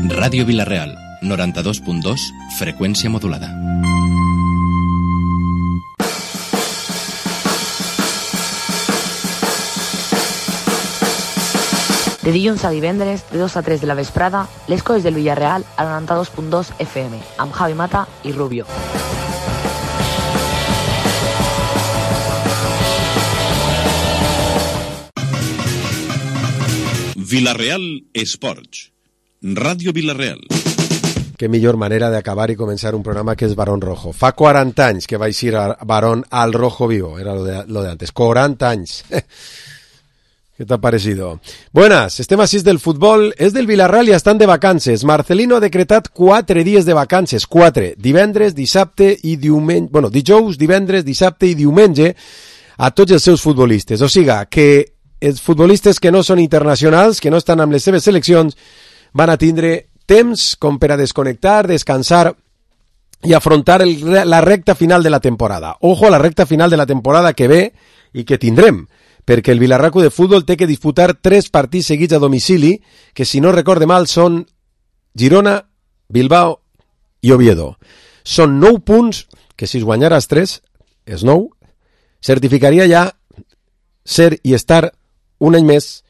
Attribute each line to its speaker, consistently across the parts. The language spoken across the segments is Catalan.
Speaker 1: Ràdio Vila-real, 92.2, freqüència modulada.
Speaker 2: De dilluns a divendres, de 2 a 3 de la vesprada, les coses del Villarreal al 92.2 FM, amb Javi Mata i Rubio.
Speaker 3: Vila-real Esports. Ràdio Vila-real.
Speaker 4: Qué millor manera de acabar y comenzar un programa que es Barón Rojo. Fa 40 anys que vais ir a Barón al Rojo Vivo, era lo de antes. 40 anys. ¿Qué te ha parecido? Buenas, estem a 6 del futbol, és del Villarreal i estan de vacances. Marcelino ha decretat 4 dies de vacances, 4, divendres, dissabte i diumenge, bueno, dijous, divendres, dissabte i diumenge a tots els seus futbolistes. O sigui, que els futbolistes que no són internacionals, que no estan amb les seves seleccions, van a tindre temps com per a desconnectar, descansar i afrontar la recta final de la temporada. Ojo a la recta final de la temporada que ve i que tindrem, perquè el Villarreal Club de Futbol té que disputar 3 partits seguits a domicili, que si no recorde mal són Girona, Bilbao i Oviedo. Són 9 punts, que si es guanyares 3, és 9, certificaria ja ser i estar un any més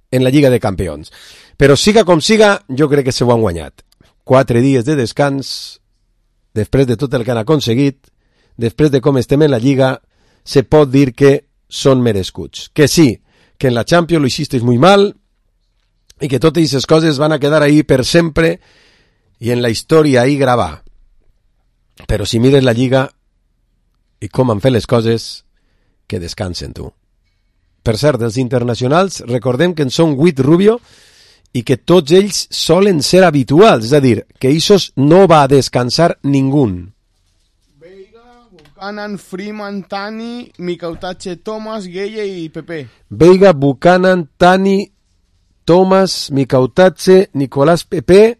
Speaker 4: en la Lliga de Campions. Però siga com siga, jo crec que se ho han guanyat. 4 dies de descans, després de tot el que han aconseguit, després de com estem en la Lliga, se pot dir que són merescuts. Que sí, que en la Champions lo hicisteis muy mal y que totes esas coses van a quedar ahí per sempre y en la historia ahí gravar. Però si mires la Lliga i com han fet les coses, que descansen tu. Per cert, els internacionals, recordem que en són 8 Rubio i que tots ells solen ser habituals, és a dir, que Isos no va a descansar ningú.
Speaker 5: Buchanan, Freeman, Tani, Micautache, Thomas, Gueye y Pepe.
Speaker 4: Veiga, Buchanan, Tani, Thomas, Micautache, Nicolás Pepe,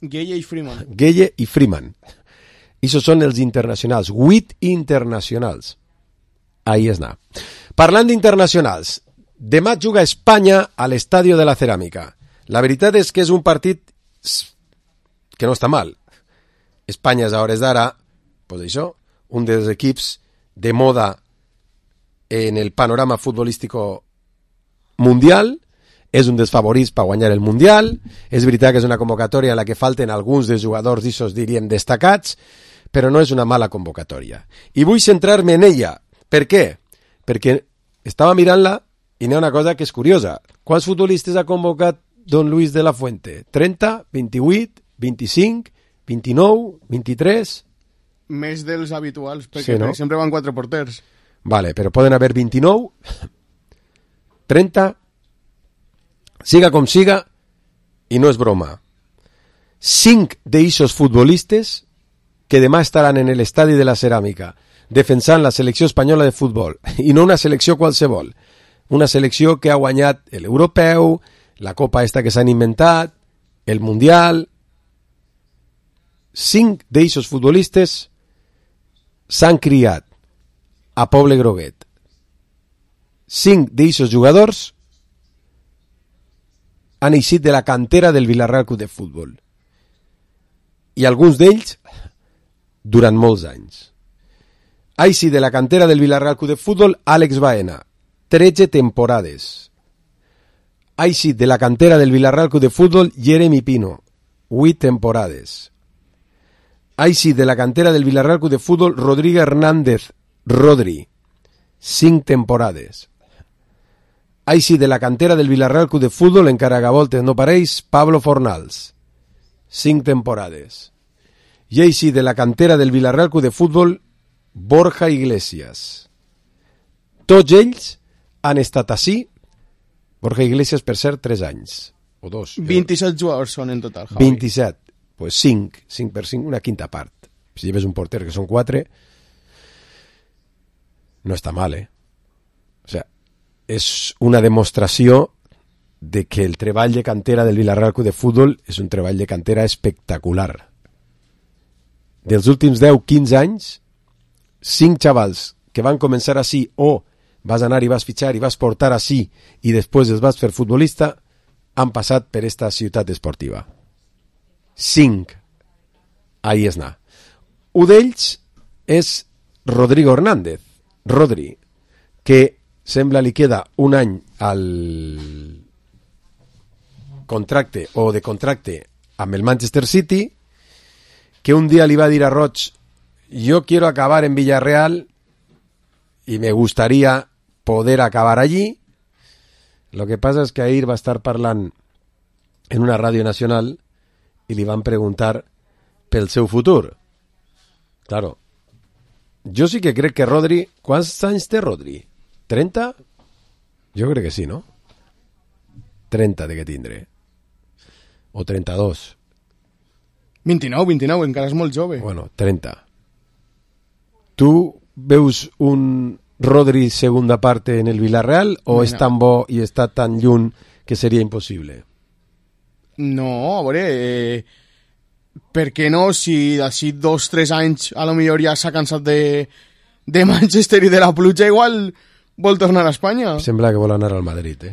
Speaker 5: Gueye y Freeman.
Speaker 4: Gueye i Freeman. Esos són els internacionals, 8 internacionals. Ahí es na. Parlant d'internacionals, demà juga Espanya a l'Estadio de la Ceràmica. La veritat és que és un partit que no està mal. Espanya és a hores d'ara, pues això, un dels equips de moda en el panorama futbolístico mundial, és un dels favorits per guanyar el Mundial, és veritat que és una convocatòria en la que falten alguns dels jugadors d'issos, diríem, destacats, però no és una mala convocatòria. I vull centrar-me en ella. Per què? Perquè estava mirant-la i n'hi ha una cosa que és curiosa. Quants futbolistes ha convocat Don Luis de la Fuente? 30, 28, 25, 29, 23...
Speaker 5: Més dels habituals, perquè
Speaker 4: sí, no?
Speaker 5: Sempre van 4 porters.
Speaker 4: Vale, però poden haver 29, 30, siga com siga, i no és broma. 5 d'eixos futbolistes que demà estaran en l'estadi de la Ceràmica defensant la selecció espanyola de futbol, i no una selecció qualsevol, una selecció que ha guanyat l'europeu, la copa esta que s'han inventat, el mundial. 5 d'eixos futbolistes s'han criat a Poble Groguet. 5 d'eixos jugadors han eixit de la cantera del Villarreal Club de Futbol. I alguns d'ells durant molts anys. Ha eixit de la cantera del Villarreal Club de Futbol Àlex Baena, 13 temporades. Ha eixit de la cantera del Villarreal Club de Futbol Jeremy Pino, 8 temporades. Ha eixit de la cantera del Villarreal Club de Futbol Rodrigo Hernández, Rodri, 5 temporades. Ha eixit de la cantera del Villarreal Club de Futbol, encara que a voltes no pareix, Pablo Fornals, 5 temporades. I ha eixit de la cantera del Villarreal Club de Futbol Borja Iglesias. Tots ells han estat així. Borja Iglesias, per cert, 3 anys. O 2.
Speaker 5: 27 jugadors són en total, Javi.
Speaker 4: 27. Pues 5 per 5, una quinta part. Si lleves un porter que són 4, no està mal, O sea, és una demostració de que el treball de cantera del Villarreal Club de Futbol és un treball de cantera espectacular. Dels últims 10-15 anys, 5 xavals que van començar així, o vas anar i vas fitxar i vas portar així i després els vas fer futbolista, han passat per esta ciutat esportiva. 5. Ahí és na. Un d'ells és Rodrigo Hernández, Rodri, que sembla li queda un any al contracte o de contracte amb el Manchester City, que un dia li va dir a Roig: yo quiero acabar en Villarreal y me gustaría poder acabar allí. Lo que pasa es que ahir va estar parlant en una ràdio nacional i li van preguntar pel seu futur. Claro, jo sí que crec que Rodri... Quants anys té Rodri? 30? Jo crec que sí, no? 30 de que tindré. O 32.
Speaker 5: 29, encara és molt jove.
Speaker 4: Bueno, 30. Tu veus un Rodri segunda parte en el Villarreal o és tan bo i està tan lluny que seria impossible?
Speaker 5: No, a veure... per què no? Si d'ací 2-3 anys a lo millor ja s'ha cansat de Manchester i de la pluja, igual vol tornar a Espanya.
Speaker 4: Sembla que vol anar al Madrid,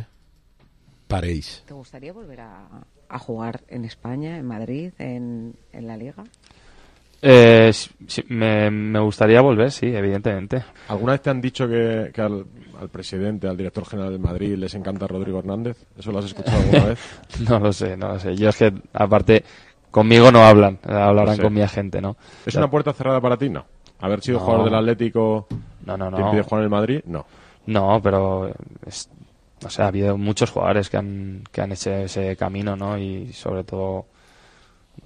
Speaker 4: Pareix.
Speaker 6: ¿Te gustaría volver a jugar en España, en Madrid, en la Liga?
Speaker 7: Sí, me gustaría volver, sí, evidentemente.
Speaker 8: ¿Alguna vez te han dicho que al presidente, al director general del Madrid, les encanta Rodrigo Hernández? ¿Eso lo has escuchado alguna vez?
Speaker 7: No lo sé. Yo es que, aparte, conmigo no hablarán con mi agente, ¿no?
Speaker 8: ¿Es una puerta cerrada para ti? No. ¿Haber sido jugador del Atlético
Speaker 7: no.
Speaker 8: te impide jugar en el Madrid? No.
Speaker 7: No, pero ha habido muchos jugadores que han hecho ese camino, ¿no? Y sobre todo,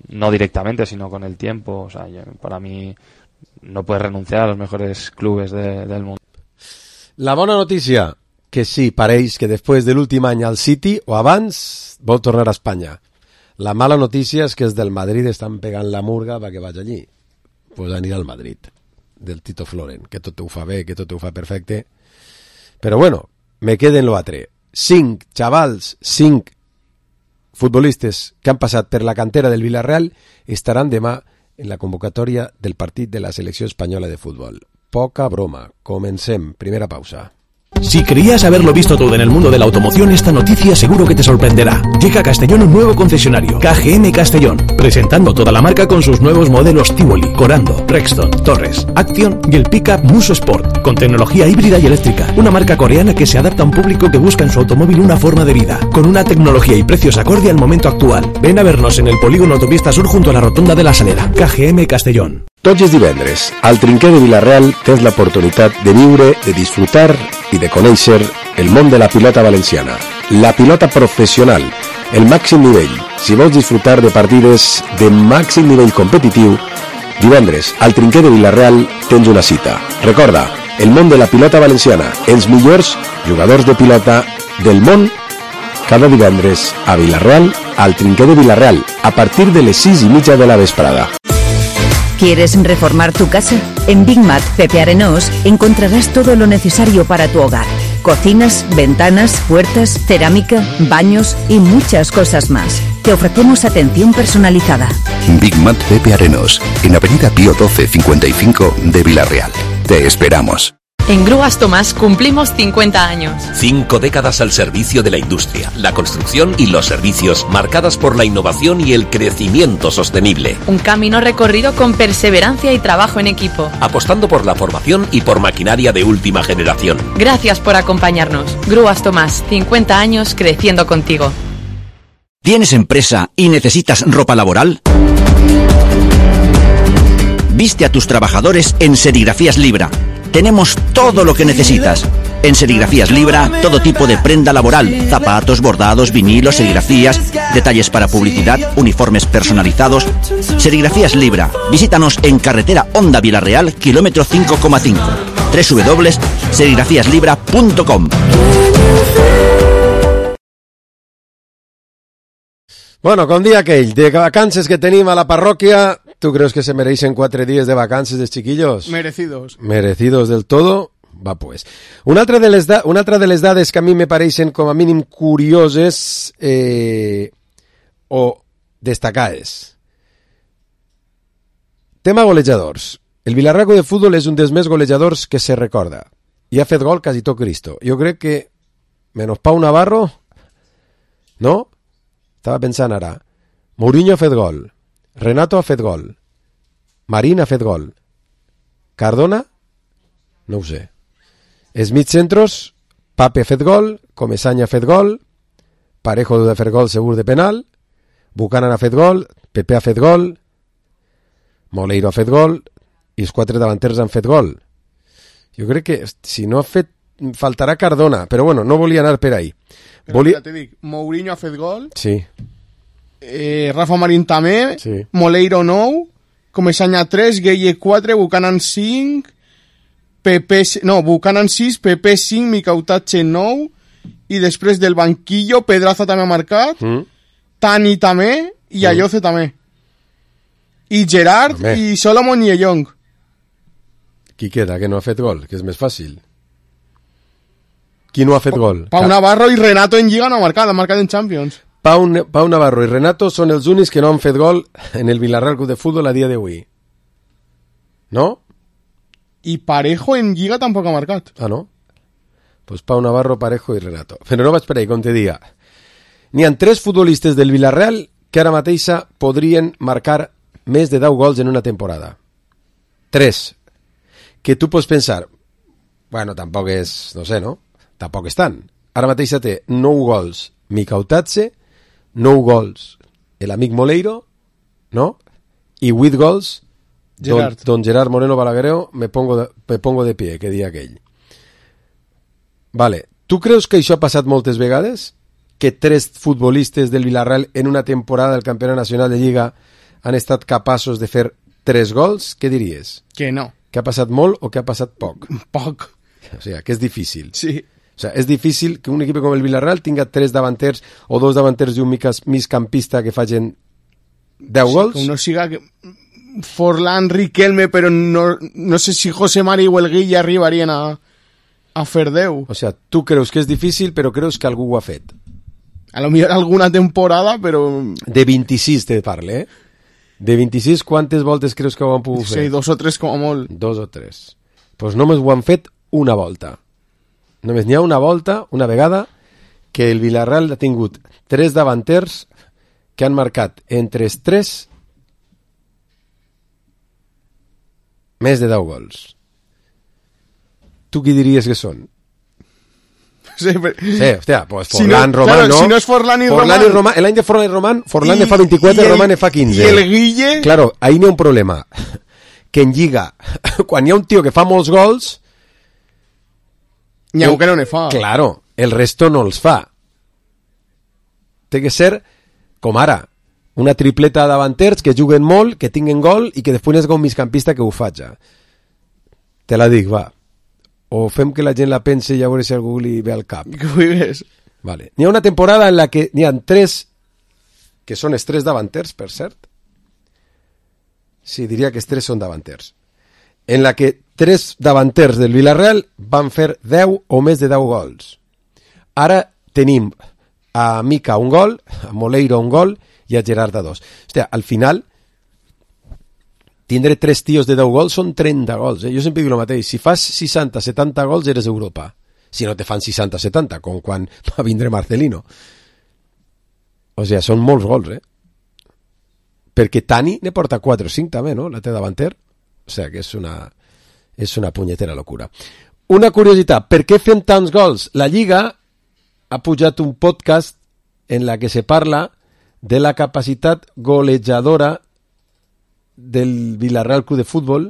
Speaker 7: no directamente, sino con el tiempo. O sea, para mí no puedes renunciar a los mejores clubes del mundo.
Speaker 4: La bona notícia, que sí, pareix que després de l'últim any al City o abans vol tornar a Espanya. La mala notícia és que els del Madrid estan pegant la murga perquè vaig allí. Pues anirà al Madrid, del Tito Floren, que tot ho fa bé, que tot ho fa perfecte. Però bueno, me queden lo altre. 5 xavals, 5 futbolistes que han passat per la cantera del Villarreal estaran demà en la convocatòria del partit de la selecció espanyola de futbol. Poca broma. Comencem. Primera pausa.
Speaker 9: Si creías haberlo visto todo en el mundo de la automoción, esta noticia seguro que te sorprenderá. Llega a Castellón un nuevo concesionario, KGM Castellón, presentando toda la marca con sus nuevos modelos Tivoli, Corando, Rexton, Torres, Action y el pickup Muso Sport, con tecnología híbrida y eléctrica. Una marca coreana que se adapta a un público que busca en su automóvil una forma de vida, con una tecnología y precios acorde al momento actual. Ven a vernos en el polígono Autopista Sur junto a la rotonda de la Salera. KGM Castellón.
Speaker 4: Tots els divendres, al Trinquer de Villarreal tens l'oportunitat de viure, de disfrutar i de conèixer el món de la pilota valenciana. La pilota professional, el màxim nivell. Si vols disfrutar de partides de màxim nivell competitiu, divendres, al Trinquer de Villarreal tens una cita. Recorda, el món de la pilota valenciana, els millors jugadors de pilota del món, cada divendres a Villarreal, al Trinquer de Villarreal, a partir de les 6:30 de la vesprada.
Speaker 10: ¿Quieres reformar tu casa? En Big Mat Pepe Arenós encontrarás todo lo necesario para tu hogar. Cocinas, ventanas, puertas, cerámica, baños y muchas cosas más. Te ofrecemos atención personalizada.
Speaker 11: Big Mat Pepe Arenós, en Avenida Pío 12 55 de Villarreal. Te esperamos.
Speaker 12: En Grúas Tomás cumplimos 50 años.
Speaker 13: 5 décadas al servicio de la industria, la construcción y los servicios, marcadas por la innovación y el crecimiento sostenible.
Speaker 12: Un camino recorrido con perseverancia y trabajo en equipo.
Speaker 13: Apostando por la formación y por maquinaria de última generación.
Speaker 12: Gracias por acompañarnos. Grúas Tomás, 50 años creciendo contigo.
Speaker 14: ¿Tienes empresa y necesitas ropa laboral? Viste a tus trabajadores en Serigrafías Libra. Tenemos todo lo que necesitas. En Serigrafías Libra, todo tipo de prenda laboral, zapatos, bordados, vinilos, serigrafías, detalles para publicidad, uniformes personalizados. Serigrafías Libra. Visítanos en carretera Honda Villarreal, kilómetro 5,5. www.serigrafíaslibra.com.
Speaker 4: Bueno, com dia aquell, de vacances que tenim a la parròquia, ¿tú crees que se merecen 4 días de vacances de chiquillos?
Speaker 5: Merecidos.
Speaker 4: Merecidos del todo? Va, pues. Una altra de les dades que a mi me pareixen com a mínim curioses o destacades. Tema golejadors. El Vilarraco de futbol és un dels més golejadors que se recorda. I ha fet gol quasi tot Cristo. Jo crec que, menys Pau Navarro, no? Estava pensant ara. Mourinho ha fet gol. Renato ha fet gol. Marín ha fet gol. Cardona? No ho sé. Els mitjcentros, Pape ha fet gol, Comesaña ha fet gol, Parejo ha fet gol segur de penal, Buchanan ha fet gol, Pepe ha fet gol, Moleiro ha fet gol, i els 4 davanters han fet gol. Jo crec que si no ha fet faltarà Cardona, però bueno, no volia anar per ahí.
Speaker 5: Ja te dic, Mourinho ha fet gol,
Speaker 4: sí.
Speaker 5: Rafa Marín també,
Speaker 4: sí.
Speaker 5: Moleiro 9, Comesaña 3, Gueye 4, Buchanan 5, Buchanan 6, Pepe 5, Micautache 9, i després del banquillo Pedraza també ha marcat, Tani també, i Ayoce també. I Gerard, i Solomon i Young.
Speaker 4: Qui queda, que no ha fet gol? Que és més fàcil. Qui no ha fet gol?
Speaker 5: Pau Navarro i Renato en Lliga no ha marcat en Champions.
Speaker 4: Pau Navarro i Renato són els únics que no han fet gol en el Villarreal Club de Fútbol a dia d'avui. No?
Speaker 5: I Parejo en Lliga tampoc ha marcat.
Speaker 4: Ah, no? Pues Pau Navarro, Parejo i Renato. Però no vaig per ahí, com te diga. N'hi ha 3 futbolistes del Villarreal que ara mateixa podrien marcar més de 10 gols en una temporada. 3. Que tu pots pensar, bueno, tampoc és, no sé, no? Tampoc és tant. Ara mateixa té 9 gols Micautache, 9 gols l'amic Moleiro, no? I 8 gols don Gerard Moreno Balagueró, me pongo de pie, que dia aquell. Vale, tu creus que això ha passat moltes vegades? Que 3 futbolistes del Villarreal en una temporada del Campionat Nacional de Lliga han estat capaços de fer 3 gols? Què diries?
Speaker 5: Que no.
Speaker 4: Que ha passat molt o que ha passat poc?
Speaker 5: Poc.
Speaker 4: O sigui, que és difícil.
Speaker 5: Sí.
Speaker 4: O sea, és difícil que un equip com el Villarreal tinga 3 davanters o 2 davanters i un migcampista que facin 10 gols.
Speaker 5: Que no siga Forlán, Riquelme, però no sé si José Mari o el Guille arribarien a fer 10.
Speaker 4: O sea, tu creus que és difícil, però creus que algú ho ha fet.
Speaker 5: A lo millor alguna temporada, però...
Speaker 4: De 26 te parle, eh? De 26, quantes voltes creus que ho han pogut fer?
Speaker 5: Sí, 2 o 3 com a molt.
Speaker 4: 2 o 3. Pues només ho han fet una volta. Només n'hi ha una volta, una vegada, que el Villarreal ha tingut 3 davanters que han marcat entre els 3 més de 10 gols. Tu qui diries que són?
Speaker 5: Sí,
Speaker 4: hòstia, pues Forlán, Román,
Speaker 5: claro,
Speaker 4: no.
Speaker 5: Si no és Forlán i Román...
Speaker 4: L'any de Forlán i Román, Forlán ne fa 24 i Román ne fa 15.
Speaker 5: I el Guille...
Speaker 4: Claro, ahí n'hi ha un problema. Que en Lliga, quan hi ha un tio que fa molts gols...
Speaker 5: N'hi ha un que no ne fa.
Speaker 4: Claro, el resto no els fa. Té que ser, com ara, una tripleta davanters que juguen molt, que tinguen gol i que després n'és un migcampista que ho faci. Te la dic, va. O fem que la gent la pense i a veure si algú li ve al cap.
Speaker 5: Que ho ves.
Speaker 4: Vale. N'hi ha una temporada en la que n'hi ha 3, que són els 3 davanters, per cert. Sí, diria que els 3 són davanters. En la que 3 davanters del Villarreal van fer 10 o més de 10 gols. Ara tenim a Mica un gol, a Moleiro un gol i a Gerard a 2. Hòstia, al final... tindre 3 tios de 10 gols són 30 gols. Jo sempre dic el mateix. Si fas 60-70 gols eres Europa. Si no te fan 60-70, com quan va vindre Marcelino. O sigui, són molts gols, Perquè Tani ne porta 4 o 5 també, no? La té davanter. O sigui, que és una punyetera locura. Una curiositat, per què fem tants gols? La Lliga ha pujat un podcast en la que se parla de la capacitat golejadora del Villarreal Club de Fútbol.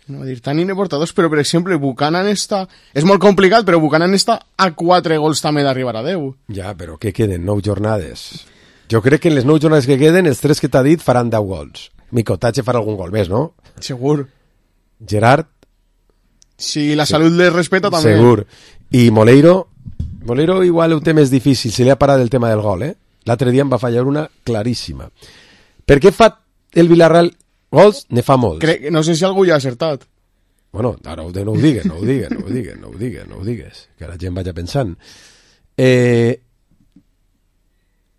Speaker 5: No, dir, Tani ne porta 2, però per exemple Buchanan està... És molt complicat, però Buchanan està a 4 gols també d'arribar a 10.
Speaker 4: Ja, però què queden? 9 jornades. Jo crec que en les 9 jornades que queden, els 3 que t'ha dit faran 10 gols. Micautache farà algun gol més, no?
Speaker 5: Segur.
Speaker 4: Gerard?
Speaker 5: Si la salut les respeta també.
Speaker 4: Segur. I Moleiro igual ho té més difícil, se li ha parat el tema del gol, L'altre dia em va fallar una claríssima. Per què fa el Villarreal gols? Ne fa molts.
Speaker 5: No sé si algú ja ha acertat.
Speaker 4: Bueno, ara no ho digues, que la gent vaya pensant.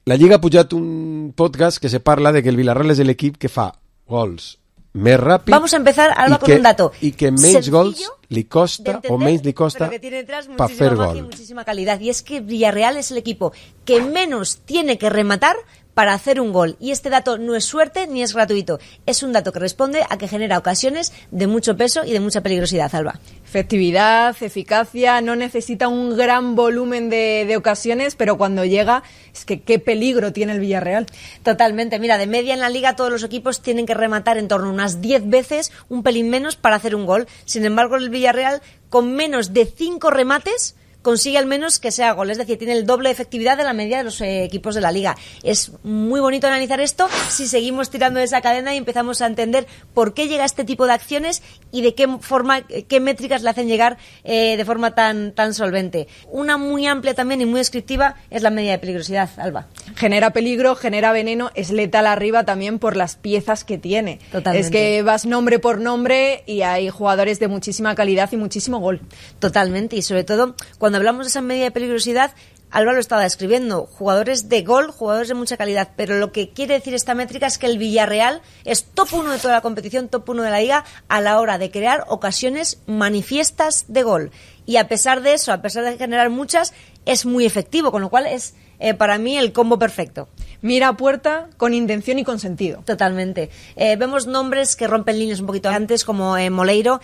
Speaker 4: La Lliga ha pujat un podcast que se parla de que el Villarreal és l'equip que fa gols més ràpid.
Speaker 15: Vamos a empezar, Alba, con un dato.
Speaker 4: I que menys gols li costa o menys li costa
Speaker 15: pero que tiene detrás
Speaker 4: para fer
Speaker 15: muchísima magia y
Speaker 4: gol.
Speaker 15: muchísima calidad. Y es que Villarreal es el equipo que menos tiene que rematar para hacer un gol. Y este dato no es suerte ni es gratuito. Es un dato que responde a que genera ocasiones de mucho peso y de mucha peligrosidad, Alba.
Speaker 16: Efectividad, eficacia, no necesita un gran volumen de ocasiones, pero cuando llega, es que qué peligro tiene el Villarreal.
Speaker 15: Totalmente. Mira, de media en la Liga todos los equipos tienen que rematar en torno a unas 10 veces, un pelín menos, para hacer un gol. Sin embargo, el Villarreal, con menos de 5 remates, consigue al menos que sea gol, es decir, tiene el doble de efectividad de la media de los equipos de la Liga. Es muy bonito analizar esto si seguimos tirando de esa cadena y empezamos a entender por qué llega este tipo de acciones y de qué forma, qué métricas le hacen llegar de forma tan solvente. Una muy amplia también y muy descriptiva es la media de peligrosidad, Alba.
Speaker 16: Genera peligro, genera veneno, es letal arriba también por las piezas que tiene.
Speaker 15: Totalmente.
Speaker 16: Es que vas nombre por nombre y hay jugadores de muchísima calidad y muchísimo gol.
Speaker 15: Totalmente, y sobre todo cuando hablamos de esa media de peligrosidad, Alba lo estaba describiendo, jugadores de gol, jugadores de mucha calidad, pero lo que quiere decir esta métrica es que el Villarreal es top 1 de toda la competición, top 1 de la Liga a la hora de crear ocasiones manifiestas de gol. Y a pesar de eso, a pesar de generar muchas, es muy efectivo, con lo cual es para mí el combo perfecto.
Speaker 16: Mira a puerta con intención y con sentido.
Speaker 15: Totalmente. Vemos nombres que rompen líneas un poquito antes, como Moleiro,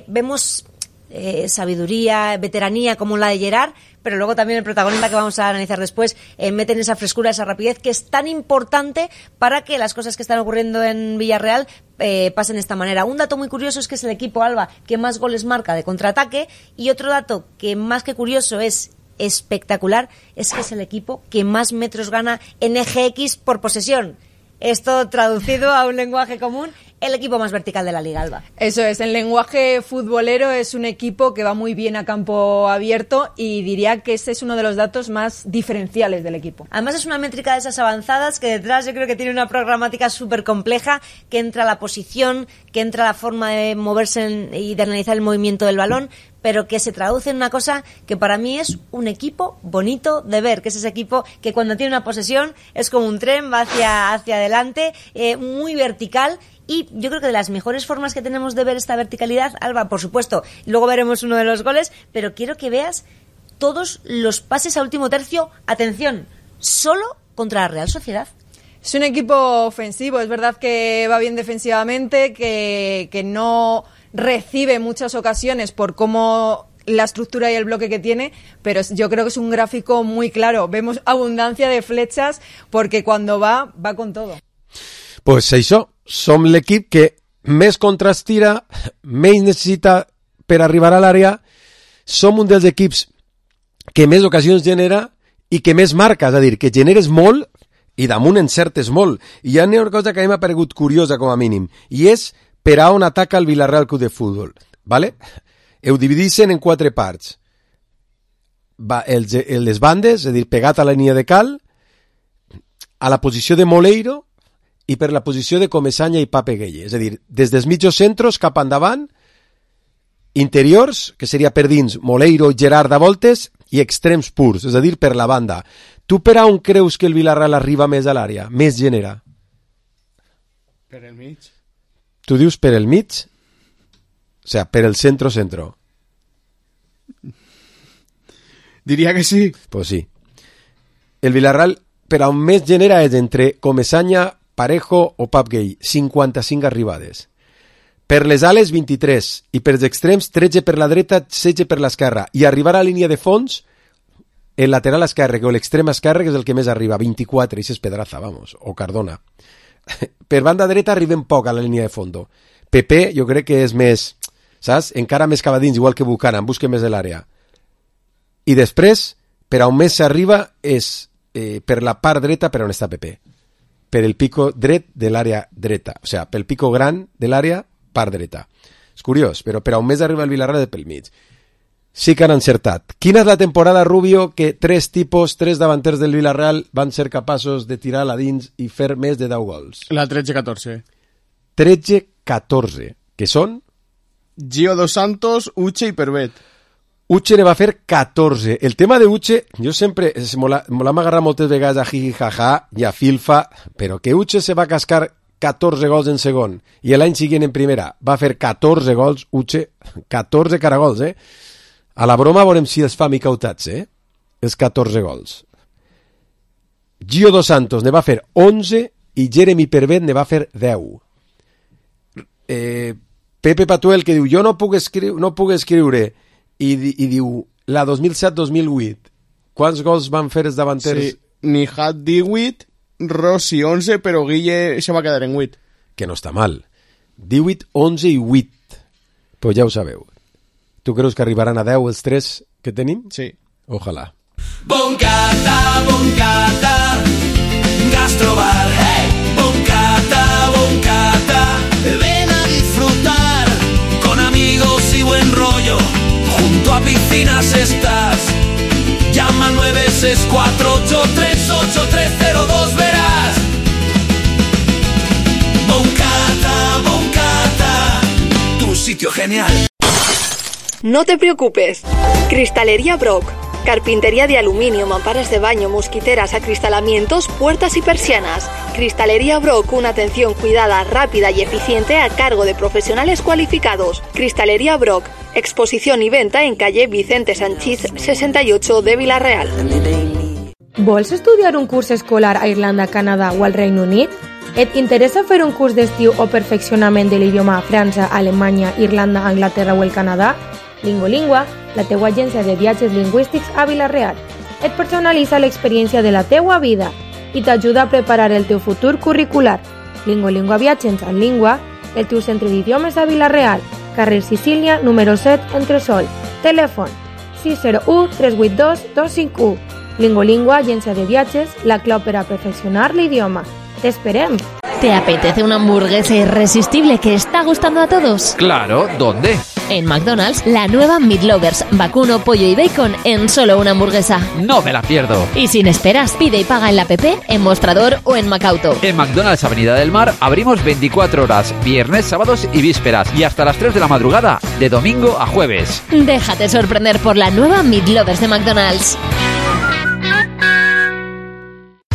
Speaker 15: vemos sabiduría, veteranía como la de Gerard, pero luego también el protagonista que vamos a analizar después meten esa frescura, esa rapidez que es tan importante para que las cosas que están ocurriendo en Villarreal pasen de esta manera. Un dato muy curioso es que es el equipo, Alba, que más goles marca de contraataque, y otro dato que más que curioso es espectacular es que es el equipo que más metros gana en eje X por posesión. Esto traducido a un lenguaje común, el equipo más vertical de la Liga, Alba.
Speaker 16: Eso es, en lenguaje futbolero es un equipo que va muy bien a campo abierto y diría que ese es uno de los datos más diferenciales del equipo.
Speaker 15: Además es una métrica de esas avanzadas que detrás yo creo que tiene una programática súper compleja, que entra la posición, que entra la forma de moverse y de analizar el movimiento del balón, pero que se traduce en una cosa que para mí es un equipo bonito de ver, que es ese equipo que cuando tiene una posesión es como un tren, va hacia adelante, muy vertical. Y yo creo que de las mejores formas que tenemos de ver esta verticalidad, Alba, por supuesto, luego veremos uno de los goles, pero quiero que veas todos los pases a último tercio, atención, solo contra la Real Sociedad.
Speaker 16: Es un equipo ofensivo, es verdad que va bien defensivamente, que no recibe muchas ocasiones por cómo la estructura y el bloque que tiene, pero yo creo que es un gráfico muy claro. Vemos abundancia de flechas porque cuando va con todo.
Speaker 4: Pues això, som l'equip que més contres tira, menys necessita per arribar a l'àrea, som un dels equips que més ocasions genera i que més marca, és a dir, que generes molt i damunt encertes molt. I hi ha una cosa que a mi m'ha paregut curiosa com a mínim, i és per a on ataca el Villarreal Club de Futbol, ¿vale? Ho divideixen en 4 parts. Les bandes, és a dir, pegat a la línia de cal, a la posició de Moleiro i per la posició de Comesaña i Pape Gueye. És a dir, des dels mitjos centros cap endavant, interiors, que seria per dins Moleiro i Gerard a voltes, i extrems purs, és a dir, per la banda. Tu per on creus que el Villarreal arriba més a l'àrea, més genera?
Speaker 5: Per el mig.
Speaker 4: Tu dius per el mig? O sea, per el centro-centro.
Speaker 5: Diria que sí.
Speaker 4: Pues sí. El Villarreal, per on més genera és entre Comesaña, Parejo o Pap Gay, 55 arribades. Per les ales, 23. I per els extrems, 13 per la dreta, 16 per l'esquerra. I arribar a la línia de fons, el lateral esquerre o l'extrem esquerre, que és el que més arriba, 24. I és Pedraza, vamos, o Cardona. Per banda dreta arriben poc a la línia de fondo. Pepe, jo crec que és més, saps? Encara més cap a dins, igual que Buchanan, busca més de l'àrea. I després, per on més s'arriba és per la part dreta, per on està Pepe. Per el pico dret de l'àrea dreta. O sigui, pel pico gran de l'àrea, part dreta. És curiós, però per on més arriba el Villarreal és pel mig. Sí que han encertat. Quina és la temporada, Rubio, que 3 davanters del Villarreal van ser capaços de tirar a dins i fer més de 10 gols?
Speaker 5: La 13-14.
Speaker 4: 13-14, que són?
Speaker 5: Gio Dos Santos, Uche i Pervet.
Speaker 4: Uche ne va fer 14. El tema de Uche, jo sempre me l'hem agarrat moltes vegades a jiji jaja i a filfa, però que Uche se va cascar 14 gols en segon, i l'any següent en primera va fer 14 gols, Uche, 14 caragols, A la broma veurem si els fa micautats, Els 14 gols. Gio Dos Santos ne va fer 11 i Jeremy Pervet ne va fer 10. Pepe Patuel, que diu, jo no puc escriure, i diu, la 2007-2008, quants gols van fer els davanters?
Speaker 5: Sí, Nijat 18, Rossi 11, però Guille se va quedar en 8.
Speaker 4: Que no està mal. 18, 11 i 8. Però ja ho sabeu. Tu creus que arribaran a 10 els 3 que tenim?
Speaker 5: Sí.
Speaker 4: Ojalà.
Speaker 17: Boncata, Gastrobar, hey. Boncata, ven a disfrutar con amigos y buen rollo. Junto a piscinas estás. Llama al 964838302, verás. Boncata, tu sitio genial.
Speaker 18: No te preocupes. Cristalería Brock. Carpintería de aluminio, mamparas de baño, mosquiteras, acristalamientos, puertas y persianas. Cristalería Brock, una atención cuidada, rápida y eficiente a cargo de profesionales cualificados. Cristalería Brock, exposición y venta en calle Vicente Sanchís 68 de Vila-real.
Speaker 19: Vols estudiar un curs escolar a Irlanda, Canadà o al Regne Unit? Et interessa fer un curs d'estiu o perfeccionament de l'idioma a França, Alemanya, Irlanda, Anglaterra o el Canadà? Lingolingua, la teua agència de viatges lingüístics a Vila-real, et personalitza l'experiència de la teua vida i t'ajuda a preparar el teu futur curricular. Lingolingua Viatges en Língua, el teu centre d'idiomes a Vila-real, carrer Sicília, número 7, Entresol. Telèfon 601-382-251. Lingolingua, agència de viatges, la clau per a perfeccionar l'idioma. ¡Te esperem!
Speaker 20: ¿Te apetece una hamburguesa irresistible que está gustando a todos?
Speaker 21: Claro, ¿dónde?
Speaker 20: En McDonald's, la nueva Meat Lovers, vacuno, pollo y bacon en solo una hamburguesa.
Speaker 21: No me la pierdo.
Speaker 20: Y sin esperas, pide y paga en la app, en Mostrador o en Macauto.
Speaker 21: En McDonald's Avenida del Mar abrimos 24 horas, viernes, sábados y vísperas, y hasta las 3 de la madrugada, de domingo a jueves.
Speaker 20: Déjate sorprender por la nueva Meat Lovers de McDonald's.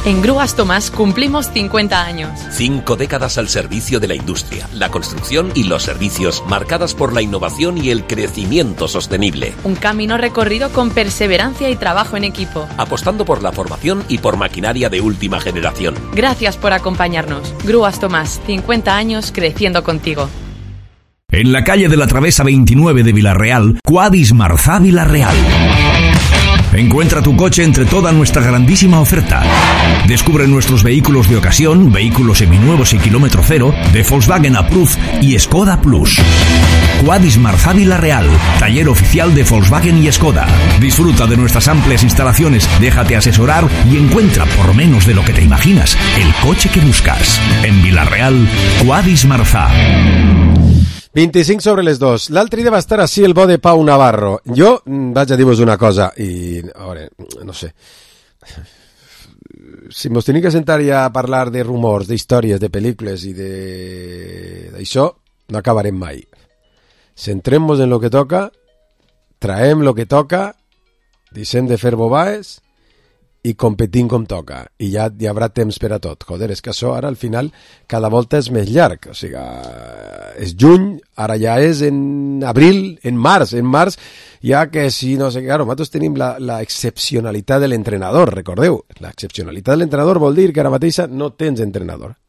Speaker 12: En Grúas Tomás cumplimos 50 años.
Speaker 13: 5 décadas al servicio de la industria, la construcción y los servicios, marcadas por la innovación y el crecimiento sostenible.
Speaker 12: Un camino recorrido con perseverancia y trabajo en equipo.
Speaker 13: Apostando por la formación y por maquinaria de última generación.
Speaker 12: Gracias por acompañarnos. Grúas Tomás, 50 años creciendo contigo.
Speaker 9: En la calle de la Travesa 29 de Vila-real, Quadis Marzà Vila-real. Encuentra tu coche entre toda nuestra grandísima oferta. Descubre nuestros vehículos de ocasión, vehículos seminuevos y kilómetro cero, de Volkswagen Approved y Skoda Plus. Quadis Marzà Vila-real, taller oficial de Volkswagen y Skoda. Disfruta de nuestras amplias instalaciones, déjate asesorar y encuentra por menos de lo que te imaginas el coche que buscas. En Vila-real, Quadis Marzà.
Speaker 4: 25 sobre les 2. L'altre dia va estar així el bo de Pau Navarro. Jo vaig a dir-vos una cosa i, a veure, no sé, si mos tenim que sentar ja a parlar de rumors, d'històries, de pel·lícules i d'això, no acabarem mai. Centrem-nos en lo que toca, traem lo que toca, deixem de fer bobaes i competim com toca, i ja hi haurà temps per a tot. Joder, és que això ara al final cada volta és més llarg, o sigui, és juny, ara ja és en abril, en març ja que si no sé, claro, nosaltres tenim la excepcionalitat de l'entrenador, recordeu, la excepcionalitat de l'entrenador vol dir que ara mateixa no tens entrenador,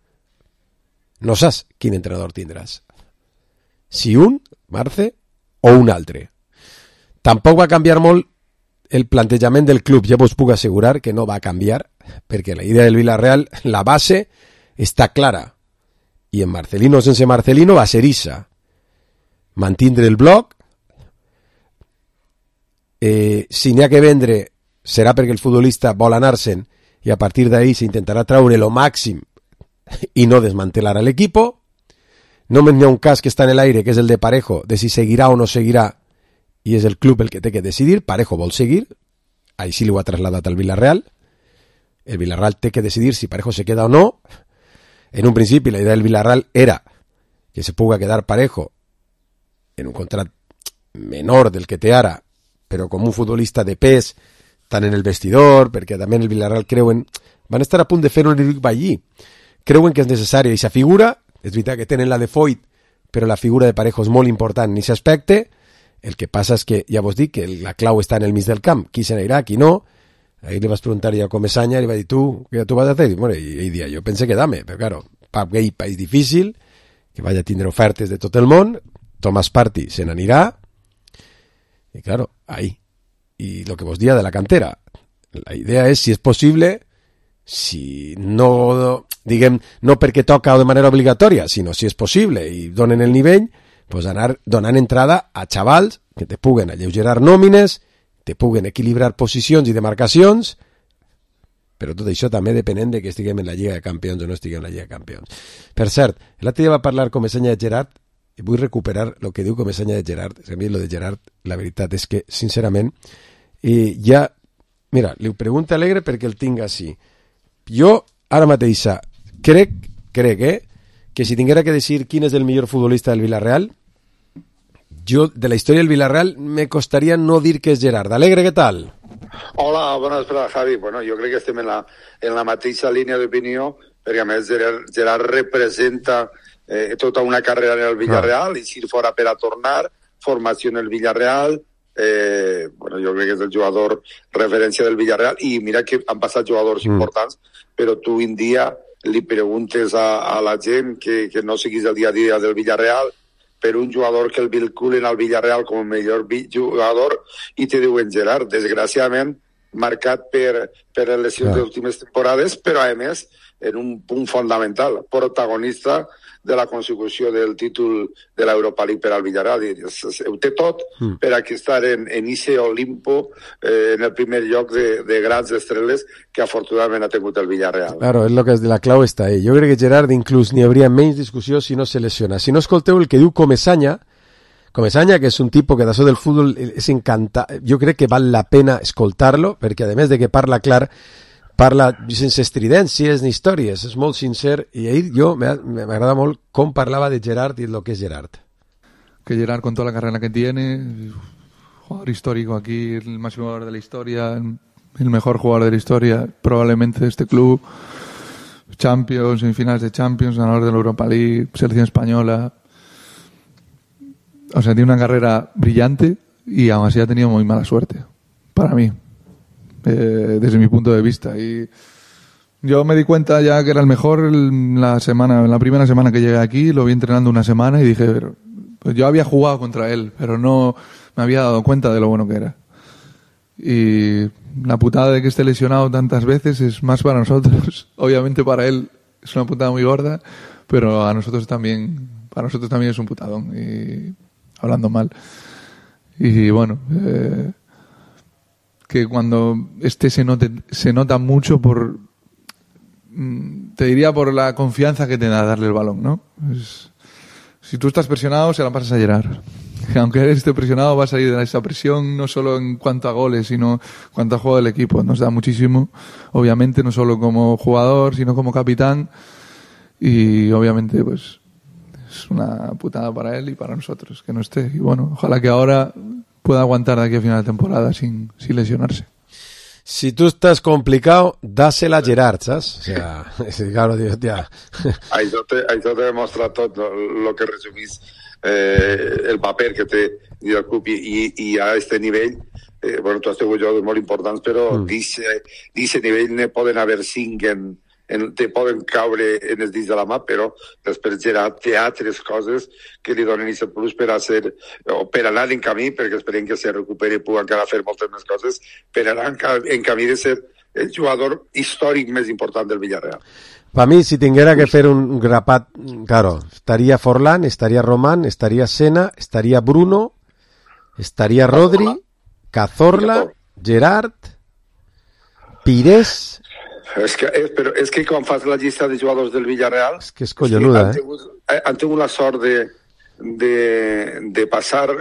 Speaker 4: no saps quin entrenador tindràs, si un, Marce, o un altre. Tampoc va canviar molt el plantejament del club, ja vos puc assegurar que no va canviar, perquè la idea del Villarreal, la base, està clara. I en Marcelino sense Marcelino va ser ixa. Mantindre el bloc, si n'hi ha que vendre, serà perquè el futbolista vol anar-se'n i a partir d'ahí s'intentarà traure lo màxim i no desmantelar a l'equipo. Només n'hi ha un cas que està en l'aire, que és el de Parejo, de si seguirà o no seguirà, i és el club el que té que decidir. Parejo vol seguir, així li ho ha traslladat al Villarreal, el Villarreal té que decidir si Parejo se queda o no. En un principi la idea del Villarreal era que se puga quedar Parejo en un contrat menor del que té ara, però com un futbolista de pes tant en el vestidor, perquè també en el Villarreal creuen, van estar a punt de fer un Eric Ballí, creuen que és necessària aquesta figura. És veritat que tenen la de Foyt, però la figura de Parejo és molt important en aquest aspecte. El que passa és que, ja vos dic, que la clau està en el mig del camp. Qui se n'anirà, qui no. Ahí le vas preguntar ya a Comesaña y le va a decir, ¿tú qué tú vas a hacer? Y bueno, y día, yo pensé que dame, pero claro, Pap Gay, país difícil, que vaya a tener ofertes de tot el món, Tomás Partey se n'anirà, y claro, ahí. Y lo que vos dia de la cantera, la idea és, si és possible, si no, diguem, no perquè toca o de manera obligatòria, sinó si és possible i donen el nivell, pues anar donant entrada a xavals que te puguen alleugerar nòmines, te puguen equilibrar posicions i demarcacions, però tot això també depenent de que estiguem en la Lliga de Campions o no estiguem en la Lliga de Campions. Per cert, l'altre dia va parlar Comesaña de Gerard, i vull recuperar el que diu Comesaña de Gerard. A mi lo de Gerard, la veritat és que, sincerament, ja, mira, li ho pregunta Alegre perquè el tinc així. Jo, ara mateix, crec que si tinguera que decidir quin és el millor futbolista del Villarreal, yo, de la historia del Villarreal, me costaría no dir que és Gerard. Alegre, què tal?
Speaker 1: Hola, bona vesprada, Javi. Bueno, jo crec que estem en la mateixa línia d'opinió, perquè a més Gerard representa tota una carrera en el Villarreal, i si fora per a tornar, formació en el Villarreal, bueno, jo crec que és el jugador referència del Villarreal, i mira que han passat jugadors importants, però tu en dia li preguntes a la gent que no seguís el dia a dia del Villarreal, per un jugador que el vinculen al Villarreal com el millor jugador, i te diuen Gerard, desgraciadament marcat per les lesions de les últimes temporades, però a més en un punt fonamental, protagonista de la consecució del títol de l'Europa League per al Villarreal. Ho té tot per a estar en ese Olimpo, en el primer lloc de grans estreles que afortunadament ha tingut el Villarreal.
Speaker 4: Claro, és lo que la clau està ahí. Jo crec que Gerard inclús n'hi hauria menys discussió si no se lesiona. Si no escolteu el que diu Comesaña, que és un tipus que d'això del futbol és encantat, jo crec que val la pena escoltar-lo, perquè a més de que parla clar, parla sense estridències ni històries, és molt sincer, i ahir m'agrada molt com parlava de Gerard y lo que es Gerard.
Speaker 22: Que Gerard, con toda la carrera que tiene, jugador histórico aquí, el máximo jugador de la historia, el mejor jugador de la historia, probablemente de este club, Champions, semifinales de Champions, ganador de la Europa League, selección española. O sea, tiene una carrera brillante y aún así ha tenido muy mala suerte, para mí. Desde mi punto de vista, y yo me di cuenta ya que era el mejor en la primera semana que llegué aquí, lo vi entrenando una semana y dije, pues yo había jugado contra él, pero no me había dado cuenta de lo bueno que era. Y la putada de que esté lesionado tantas veces es más para nosotros. Obviamente para él es una putada muy gorda, pero para nosotros también es un putadón, y hablando mal. Y bueno, que cuando se nota mucho te diría por la confianza que te da darle el balón, ¿no? Si tú estás presionado, se la pasas a Gerard. Aunque esté presionado, va a salir de esa presión, no solo en cuanto a goles, sino en cuanto a juego del equipo. Nos da muchísimo, obviamente, no solo como jugador, sino como capitán, y obviamente pues es una putada para él y para nosotros que no esté. Y bueno, ojalá que ahora pueda aguantar de aquí a final de temporada sin lesionarse.
Speaker 4: Si tú estás complicado, dásela a Gerard, ¿sabes? O sea, claro, ya.
Speaker 1: Això te demostra tot lo que resumís el paper que té el club, i a este nivell, bueno, tu has tingut jugadors molt importants, però d'aquest nivell ne poden haver 5 te poden caure en els dits de la mà, però després Gerard té altres coses que li donen aquest plus per anar en camí, perquè esperem que se recuperi i pugui encara fer moltes més coses, per anar en camí de ser el jugador històric més important del Villarreal.
Speaker 4: Per mi, si tinguera que fer un grapat, claro, estaria Forlán, estaria Román, estaria Sena, estaria Bruno, estaria Rodri, Cazorla, Gerard, Pires.
Speaker 1: És que quan fas la llista de jugadors del Villarreal,
Speaker 4: és que és collonuda,
Speaker 1: han tingut la sort de passar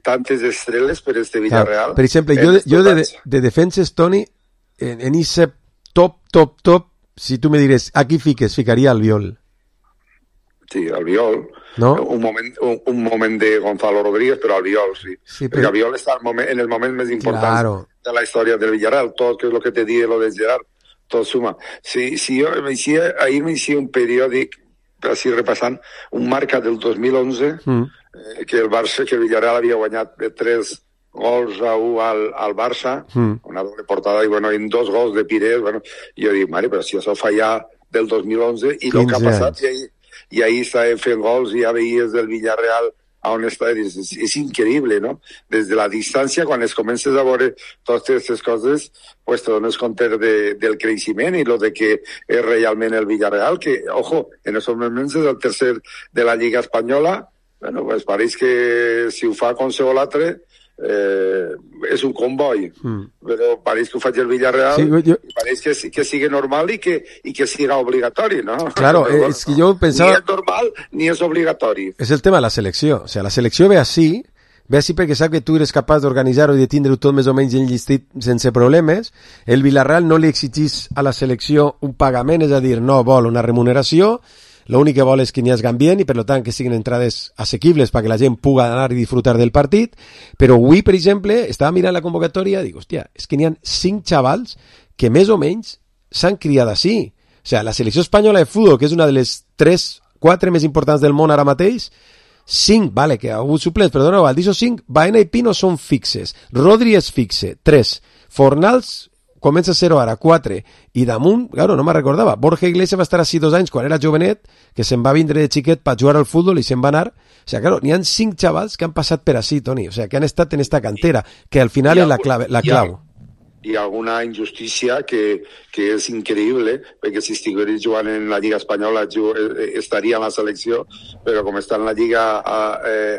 Speaker 1: tantes estrelles per este Villarreal.
Speaker 4: Per exemple, jo de defenses, Toni, en ese top, si tu me dires, aquí ficaria Albiol.
Speaker 1: Sí, Albiol. ¿No? Un moment de Gonzalo Rodríguez, però Albiol, sí. Perquè Albiol està en el moment més important de la història del Villarreal. Tot que és el que te digue lo de Gerard. tot suma. Si jo ahir m'inicia un periòdic, així repassant, un marca del 2011, que el Barça, que el Villarreal havia guanyat 3-1 al Barça, una doble portada, i bueno, en 2 gols de Pires, bueno, jo dic, mare, però si això fa ja del 2011, i el que ha passat, i ahir estava fent gols, i ja veies del Villarreal a on està, és increïble, no? Des de la distància, quan es comences a veure totes aquestes coses, pues te dones compte del creixement i lo de que és realment el Villarreal, que, ojo, en els moments és el tercer de la Lliga Espanyola, bueno, pues pareix que si ho fa qualsevol altre, és un comboi, però pareix que ho faig el Villarreal, i pareix que sigui normal i que siga obligatori, ¿no?
Speaker 4: Claro, es que yo pensaba...
Speaker 1: Ni és normal ni és obligatori.
Speaker 4: És el tema de la selecció. O sea, la selecció ve així perquè sap que tu eres capaç d'organitzar-ho i de tindre-ho tot més o menys enllistit sense problemes. El Villarreal no li exigís a la selecció un pagament, és a dir, no vol una remuneració, l'únic que vol és que n'hi hagi ambient i per tant que siguin entrades assequibles perquè la gent pugui anar i disfrutar del partit, però avui, per exemple, estava mirant la convocatòria i dic, hòstia, és que n'hi ha 5 xavals que més o menys s'han criat així. O sigui, la selecció espanyola de futbol, que és una de les 3-4 més importants del món ara mateix, 5, vale, que ha hagut suplents, però no, d'aquests 5, Baena i Pino són fixes, Rodri és fixe, 3, Fornals comença a ser-ho ara, 4, i damunt, claro, no me'n recordava, Borja Iglesias va estar així 2 anys quan era jovenet, que se'n va vindre de xiquet per jugar al futbol i se'n va anar. O sea, claro, n'hi ha 5 xavals que han passat per així, Toni, o sea, que han estat en esta cantera, que al final és la clau.
Speaker 1: Hi ha alguna injustícia que és increïble, perquè si estigués jugant en la Lliga Espanyola estaria en la selecció, però com està en la Lliga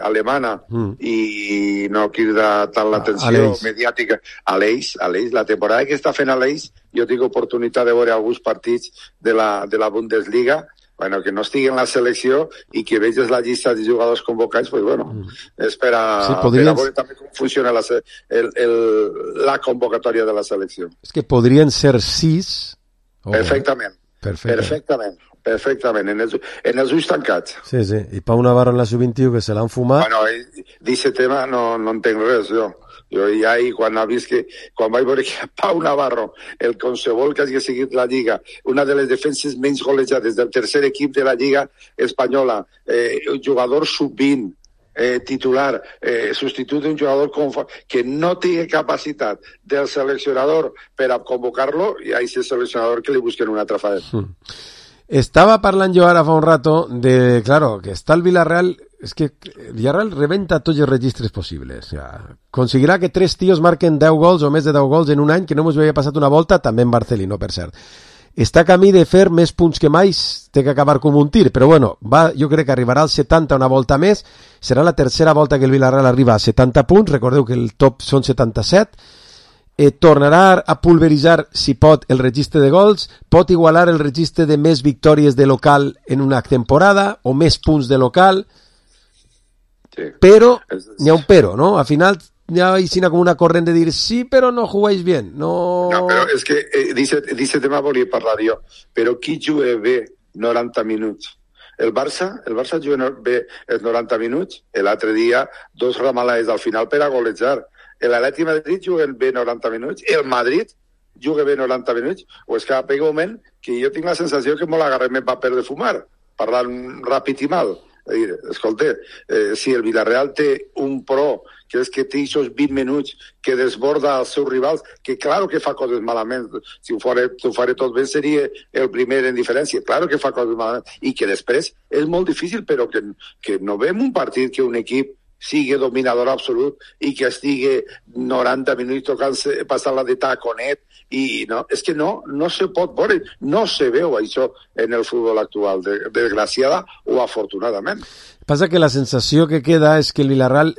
Speaker 1: alemana i no crida tant l'atenció mediàtica a l'Eix, la temporada que està fent a l'Eix, jo tinc oportunitat de veure alguns partits de la Bundesliga, bueno, que no estigui en la selecció i que veges la llista de jugadors convocats, pues bueno, és per a veure també com funciona la convocatòria de la selecció.
Speaker 4: És que podrien ser 6...
Speaker 1: Perfectament. Perfectament, en els ulls tancats.
Speaker 4: Sí, i Pau Navarro en la sub-21 que se l'han fumat...
Speaker 1: Bueno, d'aquest tema no entenc res, jo ja quan vaig veure que Pau Navarro, el qualsevol que hagi seguit la Lliga, una de les defenses menys golejades del tercer equip de la Lliga Espanyola, un jugador sub-20, titular, substitut d'un jugador que no tingui capacitat del seleccionador per a convocar-lo, i a aquest seleccionador que li busquen una altra faena.
Speaker 4: Estaba parlant jo ara fa un rato de, claro, que està el Villarreal, és que el Villarreal rebenta tots els registres possibles. O sea, conseguirà que 3 tios marquen 10 gols o més de 10 gols en un any, que no ens havia passat una volta, també en Barcelona, per cert. Està a camí de fer més punts que mai, té que acabar com un tir, però bueno, jo crec que arribarà als 70 una volta més, serà la tercera volta que el Villarreal arriba a 70 punts, recordeu que el top són 77, tornarà a pulveritzar, si pot, el registre de gols, pot igualar el registre de més victòries de local en una temporada, o més punts de local, però n'hi ha un però, no? Al final hi ha com una corrent de dir sí, però no jugueix bien. No,
Speaker 1: però és que d'aquest tema volia parlar jo, però qui juga bé 90 minuts? El Barça juga bé els 90 minuts, l'altre dia 2 ramalades al final per a golejar. L'Atlètic de Madrid juga bé 90 minuts, el Madrid juga bé 90 minuts, o és que pega un moment que jo tinc la sensació que molt agarrem en paper de fumar, parlant ràpid i mal. Escolta, si el Villarreal té un pro, que és que té aquests 20 minuts que desborda els seus rivals, que claro que fa coses malament, si ho faré tot bé seria el primer en diferència, claro que fa coses malament, i que després és molt difícil, però que no veiem un partit que un equip sigui dominador absolut i que estigui 90 minuts passant-la de taconet, i no, és que no se pot veure, no se veu això en el futbol actual, desgraciada o afortunadament.
Speaker 4: Passa que la sensació que queda és que el Villarreal,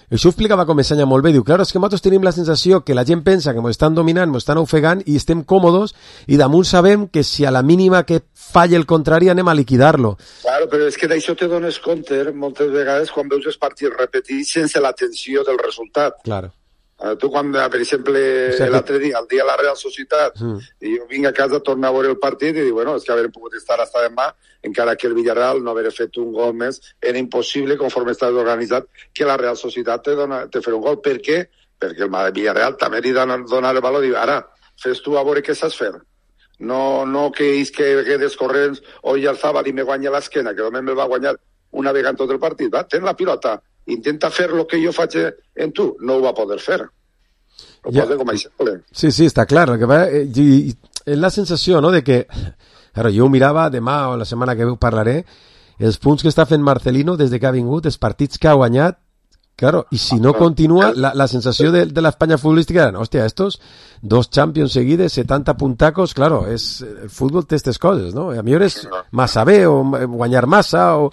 Speaker 4: això ho explicava Comesaña molt bé, diu, claro, és que nosaltres tenim la sensació que la gent pensa que ens estan dominant, ens estan ofegant i estem còmodes i damunt sabem que si a la mínima que falla el contrari anem a liquidar-lo.
Speaker 1: Claro, però és que d'això te dones compte moltes vegades quan veus els partits repetits sense la tensió del resultat.
Speaker 4: Claro.
Speaker 1: Tu quan, per exemple, l'altre dia, el dia de la Real Societat, i jo vinc a casa a tornar a veure el partit i dic, bueno, és que haver pogut estar hasta demà, encara que el Villarreal no haver fet un gol més, era impossible, conforme estàs organitzat, que la Real Societat te fer un gol. Per què? Perquè el Villarreal també li dona el valor i diu, ara, fes tu a veure què saps fer. No que ells quedes corrents i el Zabal i me guanya l'esquena, que només me va guanyar una vegada en tot el partit. Va, ten la pilota, intenta fer el que jo faig en tu. No ho va poder fer. Ho posa com a exemple.
Speaker 4: Sí, està clar. El que va, és la sensació, no?, de que... Claro, jo ho mirava, demà o la setmana que parlaré, els punts que està fent Marcelino des que ha vingut, els partits que ha guanyat, claro, y si no continúa, la sensación de la España futbolística era, hostia, estos 2 Champions seguides, 70 puntacos, claro, el fútbol té aquestes coses, no? A millor és massa bé, o guanyar massa, o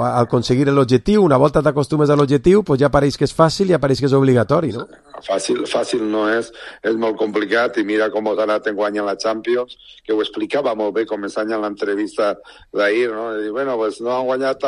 Speaker 4: al aconseguir l'objectiu, una volta t'acostumes a l'objectiu, pues ja pareix que és fàcil i ja pareix que és obligatori, no?
Speaker 1: Fàcil no és molt complicat, i mira com ha anat enguany en la Champions, que ho explicava molt bé començant en l'entrevista d'ahir, no? I dir, bueno, pues no han guanyat,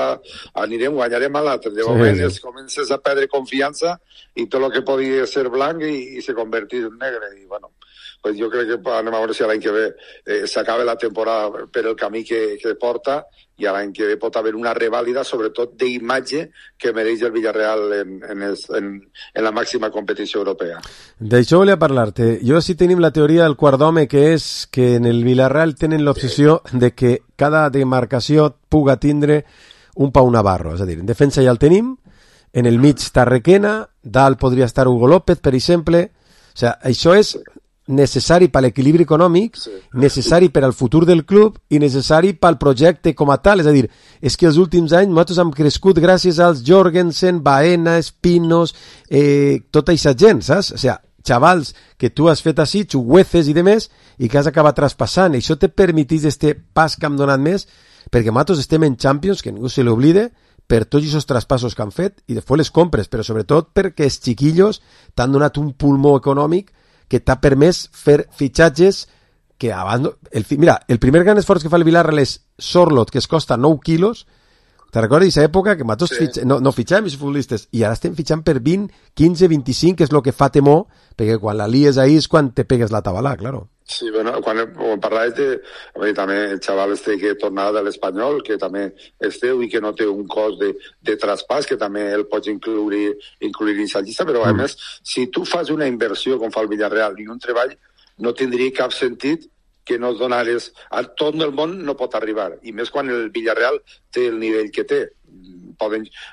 Speaker 1: guanyarem a l'altre, de moment comences a perdre confiança i tot el que podia ser blanc i se convertís en negre, i bueno, pues jo crec que anem a veure si l'any que ve s'acaba la temporada per el camí que porta, i l'any que ve pot haver una revàlida, sobretot d'imatge, que mereix el Villarreal en la màxima competició europea.
Speaker 4: D'això volia parlar-te. Jo sí tenim la teoria del quart d'home, que és que en el Villarreal tenen l'obsessió de que cada demarcació puga tindre un Pau Navarro, és a dir, en defensa ja el tenim, en el mig està Requena, dalt podria estar Hugo López, per exemple. O sigui, això és necessari per l'equilibri econòmic, necessari per al futur del club i necessari pel projecte com a tal. És a dir, és que els últims anys nosaltres hem crescut gràcies als Jorgensen, Baena, Espinos, tota aquesta gent, saps? O sigui, xavals que tu has fet així, Chugueces i demés, i que has acabat traspassant. I això te permetís este pas que hem donat més, perquè nosaltres estem en Champions, que ningú se l'oblide, per tots aquests traspassos que han fet i després les compres, però sobretot perquè els xiquillos t'han donat un pulmó econòmic que t'ha permès fer fitxatges que abans... Mira, el primer gran esforç que fa el Villarreal és Sorlot, que es costa 9 quilos. Te recordes d'aquesta època que nosaltres no fitxàvem els futbolistes i ara estem fitxant per 20, 15, 25, que és el que fa temor, perquè quan la lies ahí és quan te pegues la tabalà, claro.
Speaker 1: Sí, bueno, quan parlaves també el xaval que tornava de l'Espanyol, que també és teu i que no té un cost de traspàs, que també el pots incluir dins la llista, però a més, si tu fas una inversió com fa el Villarreal i un treball, no tindria cap sentit que no donares... A tot el món no pot arribar, i més quan el Villarreal té el nivell que té.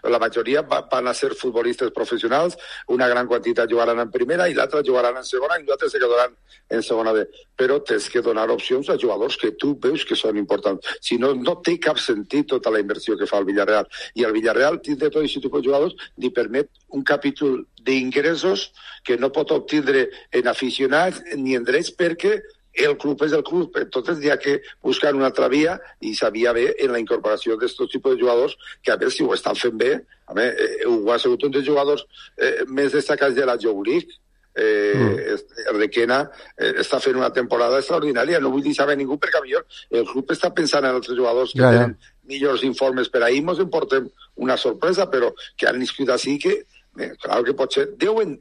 Speaker 1: La majoria van a ser futbolistes professionals, una gran quantitat jugaran en primera i l'altra jugaran en segona i l'altra se quedaran en segona B. Però tens que donar opcions a jugadors que tu veus que són importants. Si no, no té cap sentit tota la inversió que fa el Villarreal. I el Villarreal, tindre tot aquest tipus de jugadors, li permet un capítol d'ingressos que no pot obtindre en aficionats ni en drets, perquè el club és el club, entonces hi ha que buscar una altra via, i s'havia bé en la incorporació d'aquests tipus de jugadors que a veure si ho estan fent bé. A veure, Hugo ha sigut un dels jugadors més destacats de la Youth League. Requena està fent una temporada extraordinària, no vull dir saber ningú, perquè millor el club està pensant en altres jugadors que tenen millors informes per ahir, ens en portem una sorpresa, però que han inscrit així que clar que pot ser, deuen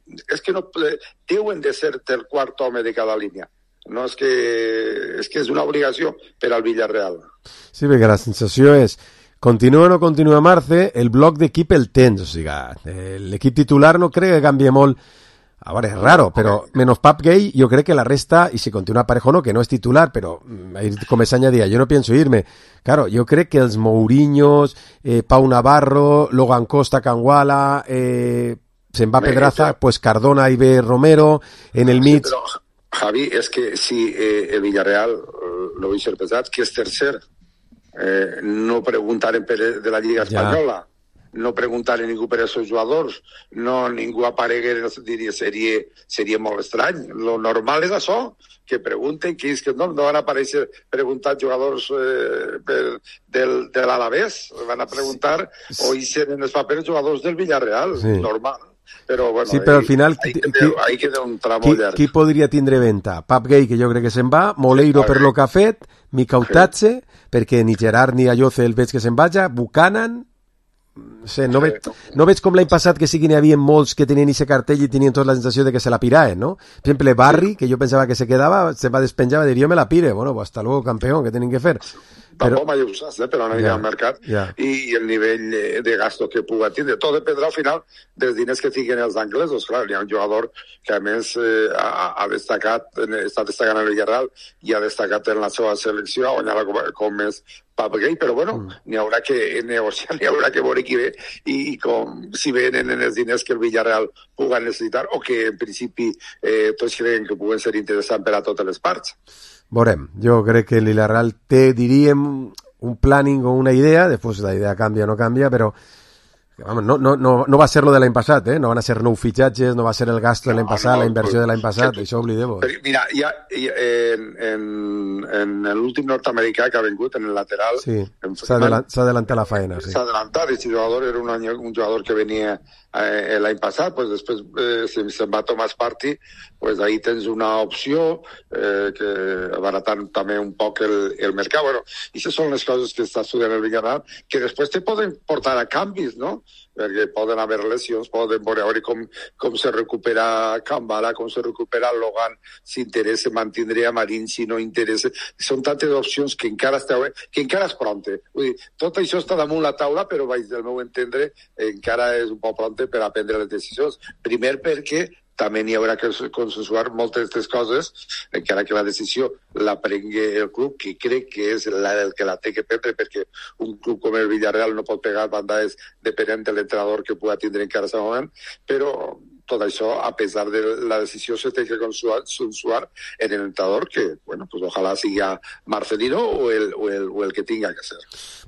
Speaker 1: de ser el quart home de cada línia. No, és que és una obligació per al Villarreal.
Speaker 4: Sí, perquè la sensació és, continua o no continua Marce, el bloc d'equip el tens, o sigui, l'equip titular no crec que canvia molt. A veure, és raro, però menos Pape Gay, jo crec que la resta, i si continua Parejo no, que no és titular, però com es añadía, yo no pienso irme. Claro, jo crec que els Mourinhos, Pau Navarro, Logan Costa, Canguala, se'n va Pedraza, pues Cardona i ve Romero, en el mig...
Speaker 1: Javi, és que si el Villarreal, lo vull ser pesat, que és tercer, no preguntaren de la Lliga Espanyola, no preguntaren ningú per aquests jugadors, no ningú aparegué, diria, seria molt estrany. Lo normal és això, que pregunten, que és que no van aparèixer preguntant jugadors de l'Alavés, van a preguntar o hi seren els papers jugadors del Villarreal, normal. Però, bueno,
Speaker 4: sí, però al final
Speaker 1: ahí queda un tramo llarg.
Speaker 4: Qui podria tindre venta? Pape Gay, que jo crec que se'n va, Moleiro per lo que ha fet, Mikautatze, perquè ni Gerard ni Ayoce el veig que se'n vaja, Buchanan, no veig com l'any passat que sí que n'hi havia molts que tenien aquest cartell i tenien tota la sensació de que se la piraven, no? Per exemple, Barry, que jo pensava que se quedava, se va despenjar i dir, jo me la pire, bueno, pues hasta luego, campeón, què tenim que fer?
Speaker 1: Tampoc mai ho saps, però no anirà al mercat i el nivell de gasto que pugui tindre. Tot dependrà al final dels diners que tinguin els anglesos. Clar, hi ha un jugador que a més ha destacat, està destacant el Villarreal i ha destacat en la seva selecció, on com és Pap Gay, però bueno, n'hi haurà que negociar, n'hi haurà que veure qui ve i com si venen els diners que el Villarreal pugui necessitar o que en principi tots creuen que puguen ser interessants per a totes les parts.
Speaker 4: Veurem, jo crec que el Villarreal té, diríem, un planning o una idea, després la idea canvia o no canvia, però no va ser lo de l'any passat, no van a ser nou fitxatges, no va ser el gasto de l'any passat, la inversió de l'any passat, això oblidem-ho.
Speaker 1: Mira, en l'últim nord-americà que ha vingut, en el lateral...
Speaker 4: Sí, s'ha adelantat la faena, sí.
Speaker 1: S'ha adelantat, aquest jugador era un jugador que venia l'any passat, pues després se'n va Thomas Partey, pues ahí tens una opció que abaratant també un poc el mercat. Bueno, i aquestes són les coses que està estudiant el Villarreal, que després te poden portar a canvis, no? Perquè poden haver lesions, poden veure com se recupera Kambala, com se recupera Logan, si interessa mantindre a Marín, si no interessa. Són tantes opcions que encara és pronte. Vull dir, tot això està damunt la taula, però del meu entendre encara és un poc pronte per a prendre les decisions. Primer perquè també n'hi haurà que consensuar moltes d'aquestes coses, encara que la decisió la prengui el club, que crec que és el que la té que prendre, perquè un club com el Villarreal no pot pegar bandades depenent de l'entrenador que pugui tindre encara en aquest moment, però tot això, a pesar de la decisió, se té que consensuar en el entrenador, que, bueno, pues ojalà siga Marcelino o el que tinga que ser.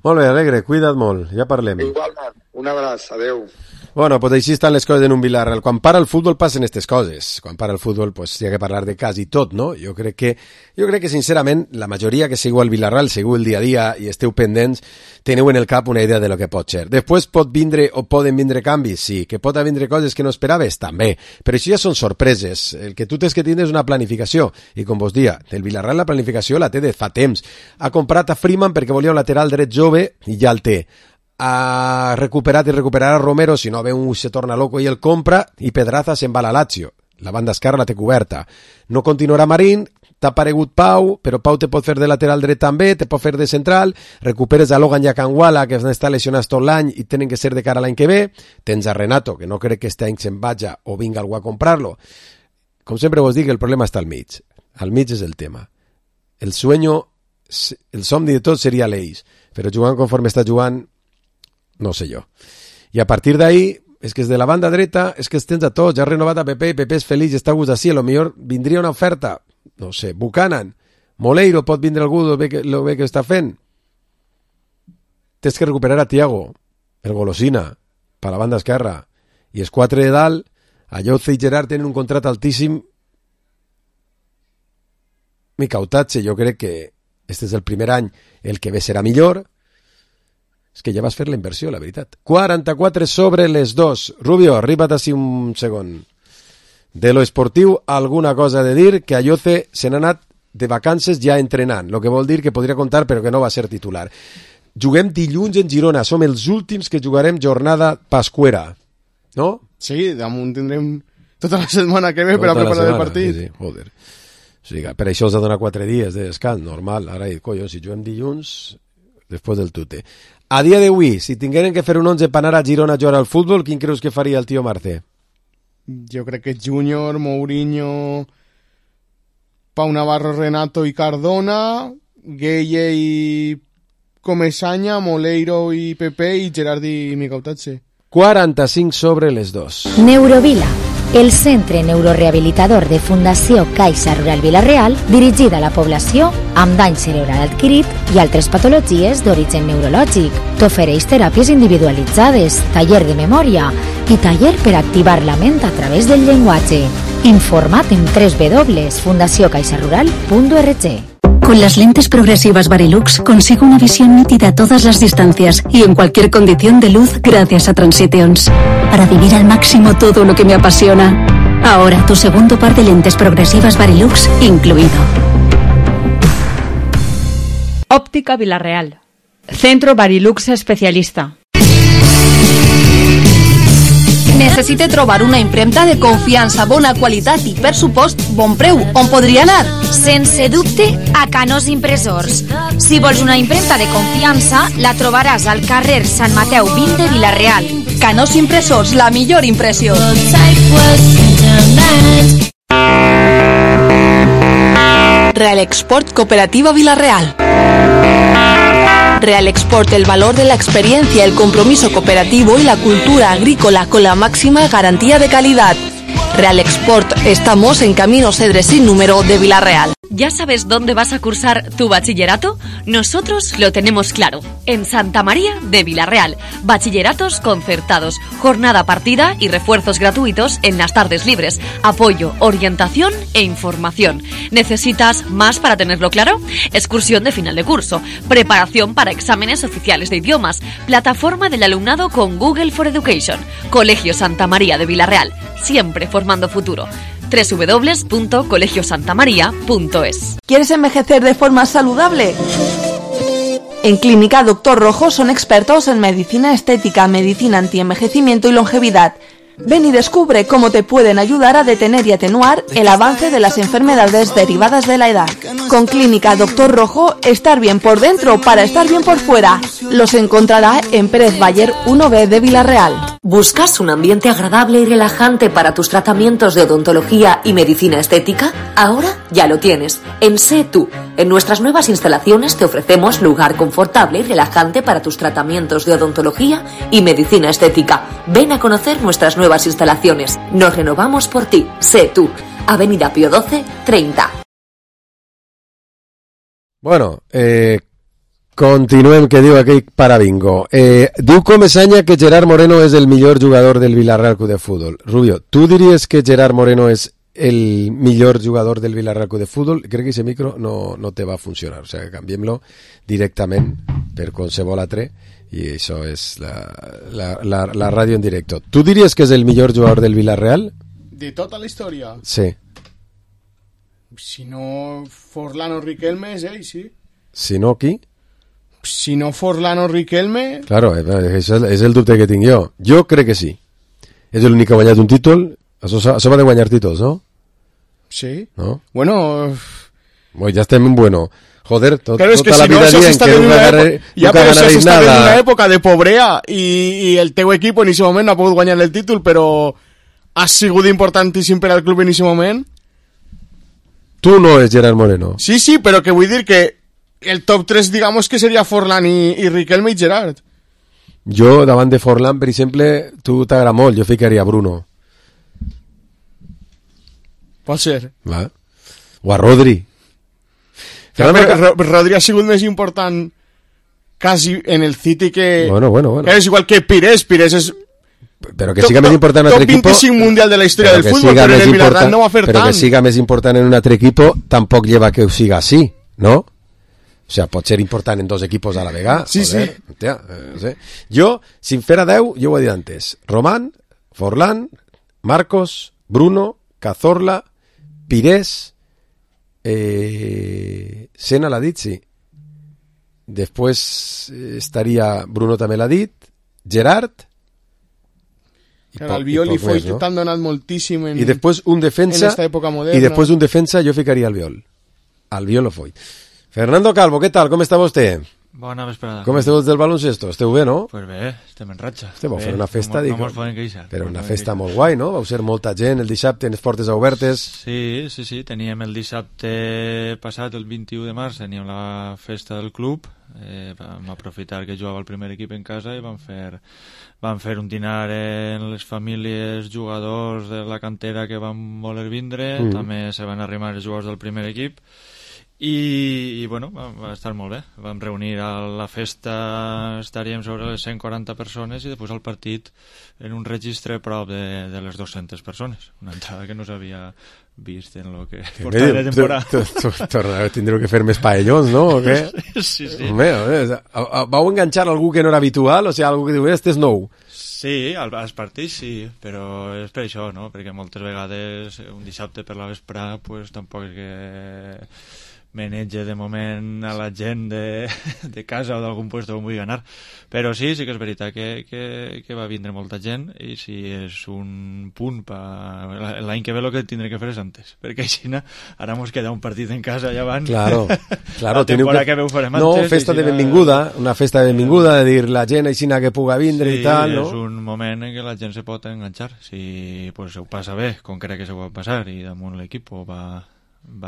Speaker 4: Molt bé, Alegre, cuida't molt, ja parlem.
Speaker 1: Igualment, un abraç, adeu.
Speaker 4: Bueno, pues així estan les coses en un Villarreal. Quan para el futbol passen aquestes coses. Quan para el futbol, pues hi ha que parlar de quasi tot, no? Jo crec que sincerament, la majoria que seguiu el Villarreal, seguiu el dia a dia i esteu pendents, teniu en el cap una idea de lo que pot ser. Després poden vindre canvis, sí. Que pot vindre coses que no esperaves, també. Però això ja són sorpreses. El que tu tens que tindre és una planificació. I com vos dia, el Villarreal la planificació la té de fa temps. Ha comprat a Freeman perquè volia un lateral dret jove i ja el té. Ha recuperat i recuperarà Romero, si no ve un se torna loco i el compra, i Pedraza se'n va a la Lazio. La banda esquerra la té coberta. No continuarà Marín, t'ha aparegut Pau, però Pau te pot fer de lateral dret també, te pot fer de central, recuperes a Logan i a Kangwala, que estan lesionats tot l'any i tenen que ser de cara a l'any que ve, tens a Renato, que no crec que este any se'n vaja o vinga algú a comprar-lo. Com sempre vos dic, el problema està al mig. Al mig és el tema. El somni de tot seria l'Eix, però jugant conforme està jugant, no sé jo. I a partir d'ahí, és que és de la banda dreta, és que es tens a tots, ja ha renovat a Pepe, i Pepe és feliç, està a gust d'ací, a lo millor vindria una oferta, no sé, Buchanan, Moleiro, pot vindre algú, lo bé que està fent. Tens que recuperar a Thiago, el golosina, per la banda esquerra, i els quatre de dalt, Ayose i Gerard tenen un contrat altíssim. Micautatge, jo crec que este és el primer any, el que ve serà millor. És que ja vas fer la inversió, la veritat. 44 sobre les 2. Rubio, arriba't així un segon. De lo esportiu, alguna cosa de dir, que Ayose se n'ha anat de vacances ja entrenant, el que vol dir que podria comptar però que no va ser titular. Juguem dilluns en Girona, som els últims que jugarem jornada pascuera, no?
Speaker 5: Sí, damunt tindrem tota la setmana que ve per a preparar el partit.
Speaker 4: Sí, joder. O sigui, per això els ha donat 4 dies de descans, normal. Ara, collons, si juguem dilluns, després del tute. A dia d'avui, si tingueren que fer un 11 per anar a Girona a jugar al futbol, quin creus que faria el tio Marce?
Speaker 5: Jo crec que Júnior, Mourinho, Pau Navarro, Renato i Cardona, Gueye i Comesaña, Moleiro i Pepe i Gerard i Micautatge.
Speaker 4: 45 sobre les 2.
Speaker 2: Neurovila, el centre neurorehabilitador de Fundació Caixa Rural Vila-real, dirigida a la població amb dany cerebral adquirit i altres patologies d'origen neurològic. T'ofereix teràpies individualitzades, taller de memòria i taller per activar la ment a través del llenguatge. Informa't en www.fundaciocaixarural.org.
Speaker 3: Con las lentes progresivas Varilux consigo una visión nítida a todas las distancias y en cualquier condición de luz gracias a Transitions. Para vivir al máximo todo lo que me apasiona. Ahora tu segundo par de lentes progresivas Varilux incluido.
Speaker 12: Óptica Villarreal. Centro Varilux especialista.
Speaker 18: Necessite trobar una impremta de confiança, bona qualitat i, per supost, bon preu. On podria anar?
Speaker 2: Sense dubte, a Canós Impressors. Si vols una impremta de confiança, la trobaràs al carrer Sant Mateu 20 de Vila-real.
Speaker 18: Canós Impressors, la millor impressió. Real Export Cooperativa Vila-real. Real Export, el valor de la experiencia, el compromiso cooperativo y la cultura agrícola con la máxima garantía de calidad. Real Export, estamos en Camino Cedres sin número de Vila-real.
Speaker 12: ¿Ya sabes dónde vas a cursar tu bachillerato? Nosotros lo tenemos claro. En Santa María de Vila-real. Bachilleratos concertados, jornada partida y refuerzos gratuitos en las tardes libres. Apoyo, orientación e información. ¿Necesitas más para tenerlo claro? Excursión de final de curso, preparación para exámenes oficiales de idiomas, plataforma del alumnado con Google for Education. Colegio Santa María de Vila-real, siempre formando futuro. www.colegiosantamaria.es.
Speaker 18: ¿Quieres envejecer de forma saludable? En Clínica Dr. Rojo son expertos en medicina estética, medicina antienvejecimiento y longevidad. Ven y descubre cómo te pueden ayudar a detener y atenuar el avance de las enfermedades derivadas de la edad. Con Clínica Dr. Rojo, estar bien por dentro para estar bien por fuera. Los encontrará en Pérez Bayer 1B de Vila-real.
Speaker 6: ¿Buscas un ambiente agradable y relajante para tus tratamientos de odontología y medicina estética? Ahora ya lo tienes. En Sé Tú. En nuestras nuevas instalaciones te ofrecemos lugar confortable y relajante para tus tratamientos de odontología y medicina estética. Ven a conocer nuestras nuevas instalaciones. Nos renovamos por ti. Sé Tú. Avenida Pío XII, 30.
Speaker 4: Bueno, continuem, que diu aquell parabingo. Diu Comesaña que Gerard Moreno és el millor jugador del Villarreal Club de Fútbol. Rubio, ¿tú diries que Gerard Moreno és el millor jugador del Villarreal Club de Fútbol? Crec que ese micro no te va a funcionar, o sea, que canviem-lo directament per qualsevol altre i això és la ràdio en directo. ¿Tú diries que és el millor jugador del Villarreal?
Speaker 5: De tota la història?
Speaker 4: Sí.
Speaker 5: Si no Forlán o Riquelme és ell, sí.
Speaker 4: Si no, qui?
Speaker 5: Si no Forlán o Riquelme...
Speaker 4: Claro, això és el dubte que tinc jo. Jo crec que sí. És l'únic que ha guanyat un títol. Això va de guanyar títols, ¿no?
Speaker 5: Sí.
Speaker 4: ¿No?
Speaker 5: Bueno...
Speaker 4: Ya estem en bueno. Joder,
Speaker 5: claro, es que
Speaker 4: tota la
Speaker 5: si no,
Speaker 4: vida dient que nunca ganaréis nada.
Speaker 5: En una època de pobrea i el teu equip en aquest moment no ha pogut guanyar el títol, però ha sigut importantíssim per al club en aquest moment.
Speaker 4: Tu no és Gerard Moreno.
Speaker 5: Sí, però que vull dir que el top 3, digamos, que seria Forlán i Riquelme i Gerard.
Speaker 4: Jo, davant de Forlán, per exemple, tu t'agrada molt, jo ficaria Bruno.
Speaker 5: Pot ser.
Speaker 4: Va. O a Rodri.
Speaker 5: Rodri ha sigut més important quasi en el City que...
Speaker 4: Bueno.
Speaker 5: És igual que Pires és...
Speaker 4: Però que siga més important en un altre equip...
Speaker 5: Top 25 mundial de la història del futbol, però en el Villarreal no va fer tant.
Speaker 4: Però que siga més important en un altre equip tampoc lleva que ho siga així, ¿no? O sea, pot ser important en dos equipos a la vegada.
Speaker 5: Sí.
Speaker 4: Tia, sí. Jo, sin fer a 10, jo ho he dit antes. Román, Forlán, Marcos, Bruno, Cazorla, Pires, Sena l'ha dit, sí. Després estaria, Bruno també l'ha dit, Gerard...
Speaker 5: Claro, Albiol i Foyt t'han donat moltíssim en
Speaker 4: després un defensa,
Speaker 5: en esta època moderna.
Speaker 4: I després un defensa jo ficaria Albiol o Foyt. Fernando Calvo, què tal? Com està vostè?
Speaker 8: Bona vesprada.
Speaker 4: Com esteu del baloncesto? Esteu bé, no?
Speaker 8: Pues bé, estem en ratxa.
Speaker 4: Vau fer una festa,
Speaker 8: no mos podem queixar.
Speaker 4: Però una festa molt guai, no? Vau ser molta gent el dissabte en les portes obertes.
Speaker 8: Sí. Teníem el dissabte passat, el 21 de març, teníem la festa del club. Vam aprofitar que jugava el primer equip en casa i vam fer un dinar en les famílies jugadors de la cantera que van voler vindre. També se van arrimar els jugadors del primer equip. I bueno, va estar molt bé. Vam reunir a la festa, estaríem sobre les 140 persones i després al partit en un registre prop de les 200 persones. Una entrada que no s'havia vist en lo que portava de temporada.
Speaker 4: Tindreu que fer més paellons, no? O què?
Speaker 8: Sí.
Speaker 4: Vau enganxar algú que no era habitual? O sigui, algú que diu, este és nou.
Speaker 8: Sí, als partits sí, però és per això, no? Perquè moltes vegades un dissabte per la vesprada pues tampoc és que menetge de moment a la gent de casa o d'algun puesto on vulgui anar, però sí que és veritat que va vindre molta gent, i si és un punt l'any que ve el que tindré que fer és antes, perquè així ara mos queda un partit en casa allà abans.
Speaker 4: Claro,
Speaker 8: la temporada que ve ho farem antes.
Speaker 4: No, festa de benvinguda, una festa de benvinguda, de dir la gent així que puga vindre i tal, no?
Speaker 8: És un moment en què la gent se pot enganxar, si pues, ho passa bé, com crec que se pot passar, i damunt l'equip va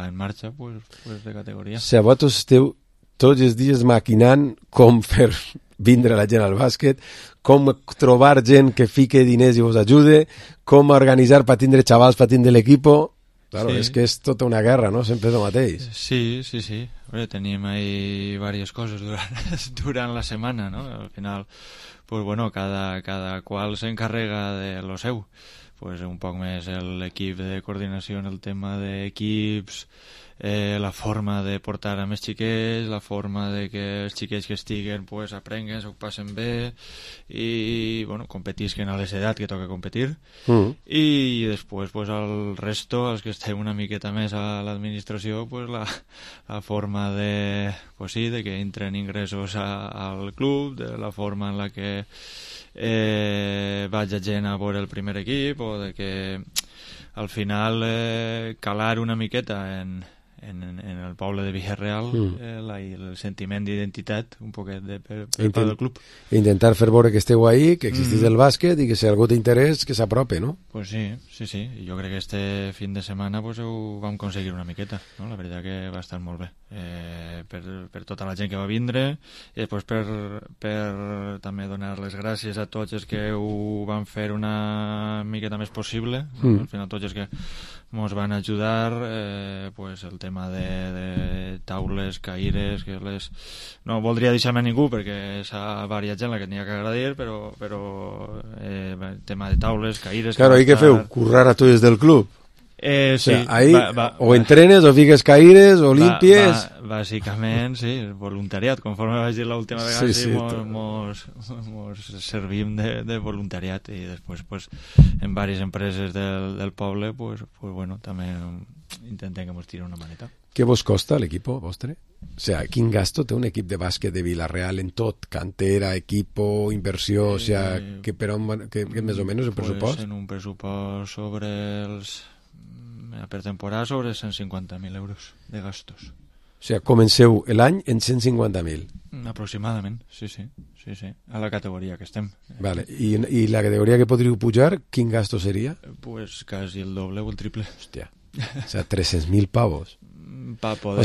Speaker 8: en marxa, pues de categoria.
Speaker 4: Si vosaltres esteu tots els dies maquinant com fer vindre la gent al bàsquet, com trobar gent que fique diners i vos ajude, com organitzar per tindre xavals, per tindre l'equip. Claro, sí. És que és tota una guerra, no? Sempre és el mateix.
Speaker 8: Sí. Tenim ahí varias cosas durant la setmana, no? Al final, pues bueno, cada qual s'encarrega de lo seu. Pues un poc més l'equip de coordinació en el tema d'equips, la forma de portar a més xiquets, la forma de que els xiquets que estiguen pues, aprenguen, s'ho passen bé i bueno, competisquen a l'edat que toca competir. I després pues, el resto, els que estem una miqueta més a l'administració, pues, la forma de, pues, sí, de que entren ingressos al club, de la forma en la que vaig a gent a veure el primer equip, o de que al final calar una miqueta en el poble de Villarreal el sentiment d'identitat un poquet per part del club.
Speaker 4: Intentar fer veure que esteu ahí, que existís el bàsquet i que si algú té interès que s'aprope, no?
Speaker 8: Pues sí. Jo crec que este fin de setmana pues, ho vam aconseguir una miqueta, no? La veritat que va estar molt bé per tota la gent que va vindre, i després per també donar les gràcies a tots els que ho van fer una miqueta més possible, al final tots els que ens van ajudar, pues el tema de taules, caires, que no voldria deixar-me a ningú perquè s'ha variat gent la que tenia que agradir, però tema de taules, caires...
Speaker 4: Claro, ¿y qué feu? ¿Currar a tu des del club?
Speaker 8: Sí.
Speaker 4: O sea, ahí o entrenes, o fiques caires, o limpies...
Speaker 8: Bàsicament, sí, voluntariat. Conforme vaig dir l'última vegada, sí, mos servim de voluntariat, i després, pues, en diverses empreses del poble, pues bueno, també intentem que mos tiri una maneta.
Speaker 4: Què vos costa l'equip vostre? O sea, quin gasto té un equip de bàsquet de Villarreal en tot? Cantera, equipo, inversió, o sea, que més o menys el pressupost?
Speaker 8: Pues en un pressupost sobre per temporada sobre 150.000 euros de gastos.
Speaker 4: O sea, comenceu l'any en 150.000.
Speaker 8: Aproximadament, sí. A la categoria que estem.
Speaker 4: Vale. I la categoria que podríeu pujar, quin gasto seria?
Speaker 8: Pues casi el doble o el triple.
Speaker 4: Hòstia. O sea, 300.000 pavos.
Speaker 8: Pa poder...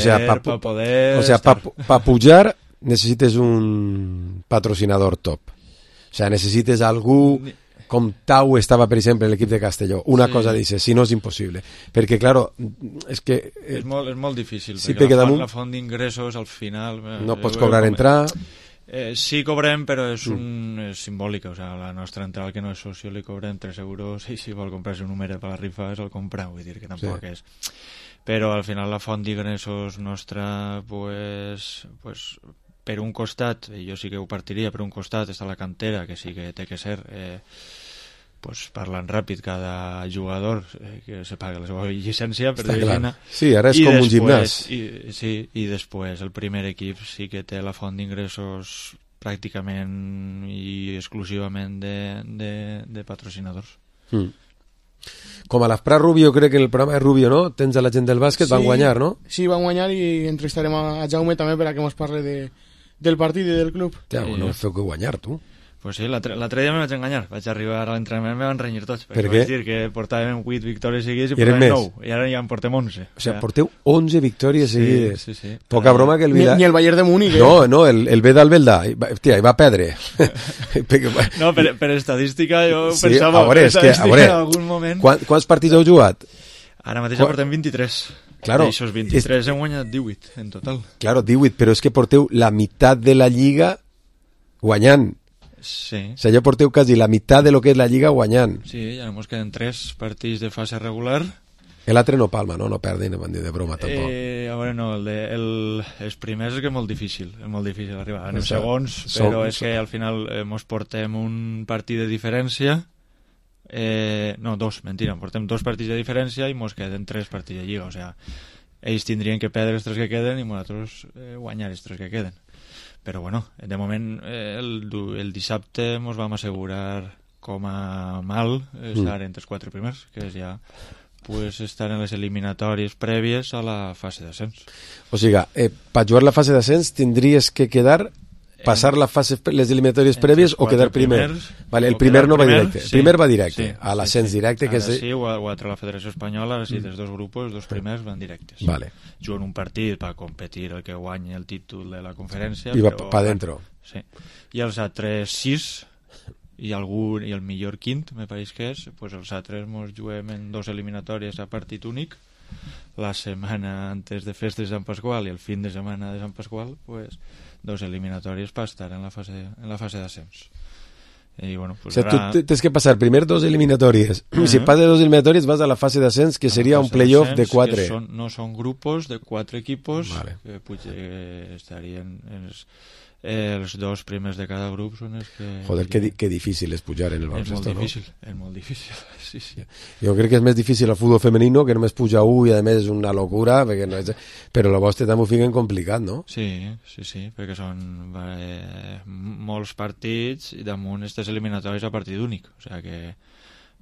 Speaker 4: O sea, pa pujar necessites un patrocinador top. O sea, necessites algú... com Tau estava, per exemple, en l'equip de Castelló. Una cosa dice, si no és impossible. Perquè, claro, és que...
Speaker 8: És molt difícil, sí, perquè la font d'ingressos, al final...
Speaker 4: No pots cobrar entrar...
Speaker 8: Sí, cobrem, però és simbòlica. O sea, la nostra entrada, que no és socio, li cobrem 3 euros, i si vol comprar-se un numeret per la rifa, és el comprar. Vull dir que tampoc és... Però, al final, la font d'ingressos nostra, pues per un costat, jo sí que ho partiria, per un costat està la cantera, que sí que té que ser parlant ràpid, cada jugador que se paga la seva llicència per dir-ne.
Speaker 4: Sí, ara és com un gimnàs.
Speaker 8: I després el primer equip sí que té la font d'ingressos pràcticament i exclusivament de patrocinadors.
Speaker 4: Com a l'Afprat Rubio, crec que el programa de Rubio, no? Tens a la gent del bàsquet, van guanyar, no?
Speaker 5: Sí, van guanyar, i entrevistarem a Jaume també per a que ens parli del partit i del club.
Speaker 4: Ja, no feu que guanyar, tu.
Speaker 8: Pues sí, l'altre dia me vaig enganyar. Vaig arribar a l'entrenament i me van renyir tots.
Speaker 4: Per què?
Speaker 8: Vaig dir que portàvem 8 victòries seguides i portàvem 9. I ara ja en portem 11.
Speaker 4: O sea, porteu 11 victòries seguides.
Speaker 8: Sí.
Speaker 4: Poca broma que el
Speaker 5: Ni el Bayern de Múnich.
Speaker 4: No, el Vedal Belda. Hòstia, hi va perdre.
Speaker 8: No, per estadística jo
Speaker 4: sí,
Speaker 8: pensava...
Speaker 4: A veure,
Speaker 8: en algun moment...
Speaker 4: Quants partits heu jugat?
Speaker 8: Ara mateix portem 23.
Speaker 4: Claro.
Speaker 8: I aquests 23 hem guanyat 18 en total.
Speaker 4: Claro, 18, però és que porteu la meitat de la Lliga guanyant.
Speaker 8: Sí.
Speaker 4: O sea, ja porteu quasi la meitat de lo que és la Lliga guanyant.
Speaker 8: Sí, ja ens queden 3 partits de fase regular.
Speaker 4: L'altre no palma, no perden, no van dir de broma tampoc.
Speaker 8: A veure, no, els primers és que és molt difícil arribar. Anem segons, però és que al final mos portem un partit de diferència. No, 2, mentira, portem 2 partits de diferència i mos queden 3 partits de Lliga, o sea, ells tindrien que perdre els 3 que queden i nosaltres guanyar els 3 que queden. Però bueno, de moment el dissabte ens vam assegurar com a mal estar entre els 4 primers, que és ja pues, estar en les eliminatòries prèvies a la fase d'ascens.
Speaker 4: O sigui, per jugar la fase d'ascens tindries que quedar, passar les eliminatòries prèvies o quedar primer? Vale, el primer no va directe. El primer va directe, a l'ascens directe.
Speaker 8: Ara sí, ho ha tret la Federació Espanyola, ara sí, dels 2 grups, els 2 primers van directes.
Speaker 4: Vale.
Speaker 8: Juguen un partit per competir el que guanyi el títol de la conferència.
Speaker 4: I va pa dentro.
Speaker 8: Sí. I els altres 6 i el millor quint, me pareix que és, pues els altres ens juguem en 2 eliminatòries a partit únic, la setmana antes de festes de Sant Pasqual i el fin de setmana de Sant Pasqual, pues 2 eliminatòries per estar en la fase d'ascens. I bueno, pues
Speaker 4: o sigui, tu tens que passar primer 2 eliminatòries. Si passes 2 eliminatòries vas a la fase d'ascens, que seria un playoff de 4.
Speaker 8: No són grupos de 4 equipos, que estarien els 2 primers de cada grup són els que...
Speaker 4: Joder, que difícil és pujar en el baloncesto, no?
Speaker 8: És molt difícil, sí.
Speaker 4: Jo crec que és més difícil el futbol femenino, que només puja i a més és una locura, però la vostra també ho fiquen complicat, no?
Speaker 8: Sí, perquè són molts partits i damunt aquestes eliminatòries a partit únic, o sigui que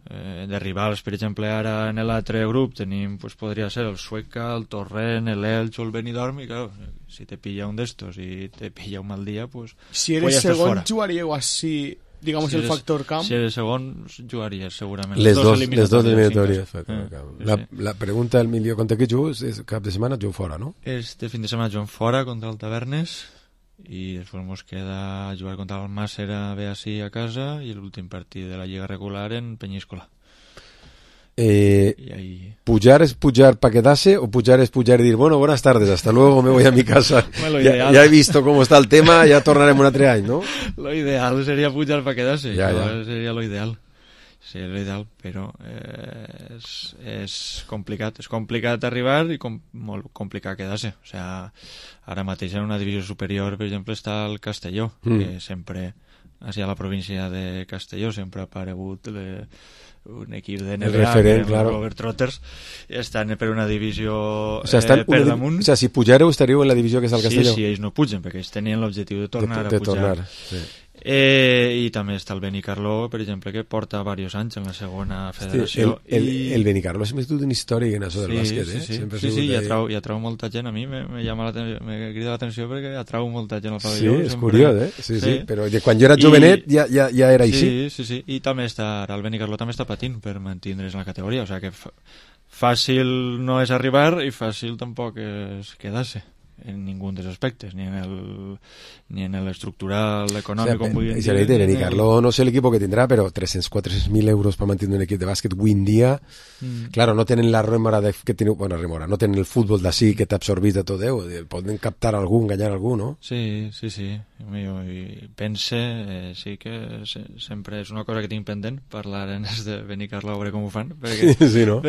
Speaker 8: de rivals, per exemple, ara en l'altre grup tenim, pues podria ser el Sueca, el Torrent, l'Elx o el Benidorm, i claro, si te pilla un d'estos i te pilla un mal dia, pues
Speaker 5: si eres segon jugaríeu així, digamos, el factor camp?
Speaker 8: Si eres segon jugaries segurament
Speaker 4: les dos eliminatòries. La pregunta del milió, contra què jugues? Cap de setmana jugo fora, no?
Speaker 8: Este fin de setmana juguem fora contra el Tavernes i després ens queda jugar contra el Màcer a Beací a casa i l'últim partit de la Lliga regular en Peñíscola.
Speaker 4: ¿Pujar es pujar para quedarse o pujar es pujar y decir, bueno, buenas tardes, hasta luego, me voy a mi casa? Ya he visto cómo está el tema, ya tornaremos un altre any, ¿no?
Speaker 8: Lo ideal sería pujar para quedarse, sería lo ideal. Seria l'ideal, però és complicat arribar i molt complicat quedar-se. O sigui, ara mateix en una divisió superior, per exemple, està el Castelló, que sempre, així a la província de Castelló, sempre ha aparegut un equip de NBA, Robert Trotters, i estan per una divisió per damunt.
Speaker 4: O sigui, si pujareu estaríeu en la divisió que és el Castelló?
Speaker 8: Sí, ells no pugen, perquè ells tenien l'objectiu de tornar a pujar. I també està el Benicarló, per exemple, que porta diversos anys en la segona federació.
Speaker 4: El Benicarló és més una història que en això del bàsquet,
Speaker 8: Sí, i atrau molta gent. A mi me crida l'atenció perquè atrau molta gent al pavelló.
Speaker 4: Sí, és curiós, Sí, però quan jo era jovenet ja era així.
Speaker 8: Sí, i també està, el Benicarló també està patint per mantindre's en la categoria, o sigui que fàcil no és arribar i fàcil tampoc és quedar-se en ningún dels aspectes, ni en el estructural, econòmic, com vulguin dir.
Speaker 4: Benicarló no sé l'equip que tindrà, però 300-400.000 euros per mantenir un equip de bàsquet avui en dia, claro, no tenen la remora que teniu, bueno, remora, no tenen el futbol d'ací que t'absorbís de tot Déu, poden captar algú, enganyar algú, no?
Speaker 8: Sí. I pense, sí que sempre és una cosa que tinc pendent, parlar en de Benicarló a veure com ho fan.
Speaker 4: Sí, no?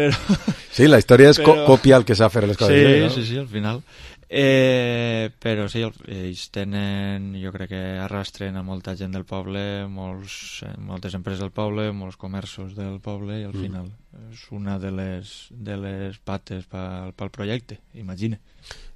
Speaker 4: Sí, la història és copiar el que s'ha fet a les coses.
Speaker 8: Sí, al final. Però sí, ells tenen, jo crec que arrastren a molta gent del poble, moltes empreses del poble, molts comerços del poble, i al final és una de les pates pel projecte, imagina.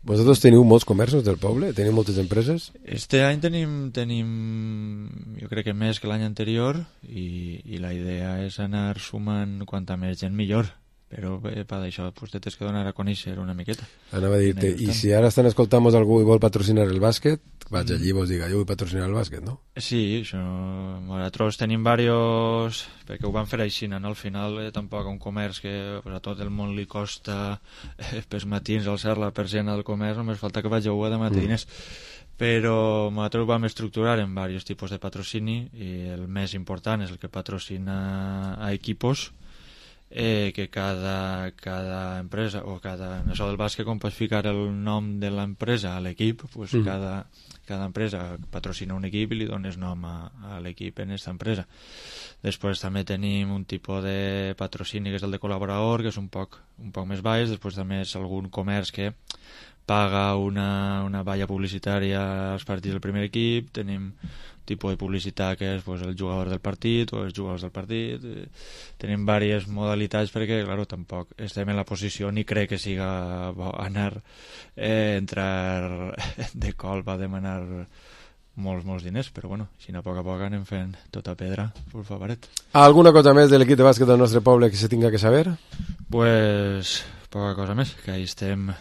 Speaker 4: Vosaltres teniu molts comerços del poble? Teniu moltes empreses?
Speaker 8: Este any tenim jo crec que més que l'any anterior, i la idea és anar sumant quanta més gent millor. Però per això te tens que donar a conèixer una miqueta.
Speaker 4: Anava a dir-te, i si ara estan escoltant algú i vol patrocinar el bàsquet, vaig allí i vos diga, jo vull patrocinar el bàsquet, no?
Speaker 8: Sí, nosaltres tenim diversos, perquè ho van fer així, no? Al final tampoc un comerç que a tot el món li costa pels matins alçar la persiana del comerç, només falta que vagi a demanar diners. Però nosaltres ho vam estructurar en diversos tipus de patrocini, i el més important és el que patrocina a equipos, que cada empresa o en això del bàsquet, com pots ficar el nom de l'empresa a l'equip, pues cada empresa patrocina un equip i li dones nom a l'equip en aquesta empresa. Després també tenim un tipus de patrocini que és el de col·laborador, que és un poc més baix. Després també és algun comerç que paga una valla publicitària als partits del primer equip, tenim tipus de publicitat que és pues, el jugador del partit o els jugadors del partit, tenim diverses modalitats perquè, claro, tampoc estem en la posició ni crec que siga bo anar entrar de colp a demanar molts diners, però bueno, si no a poc anem fent tota pedra, por favoret.
Speaker 4: ¿Alguna cosa més de l'equip de bàsquet del nostre poble que se tinga que saber?
Speaker 8: Pues poca cosa més, que ahí estem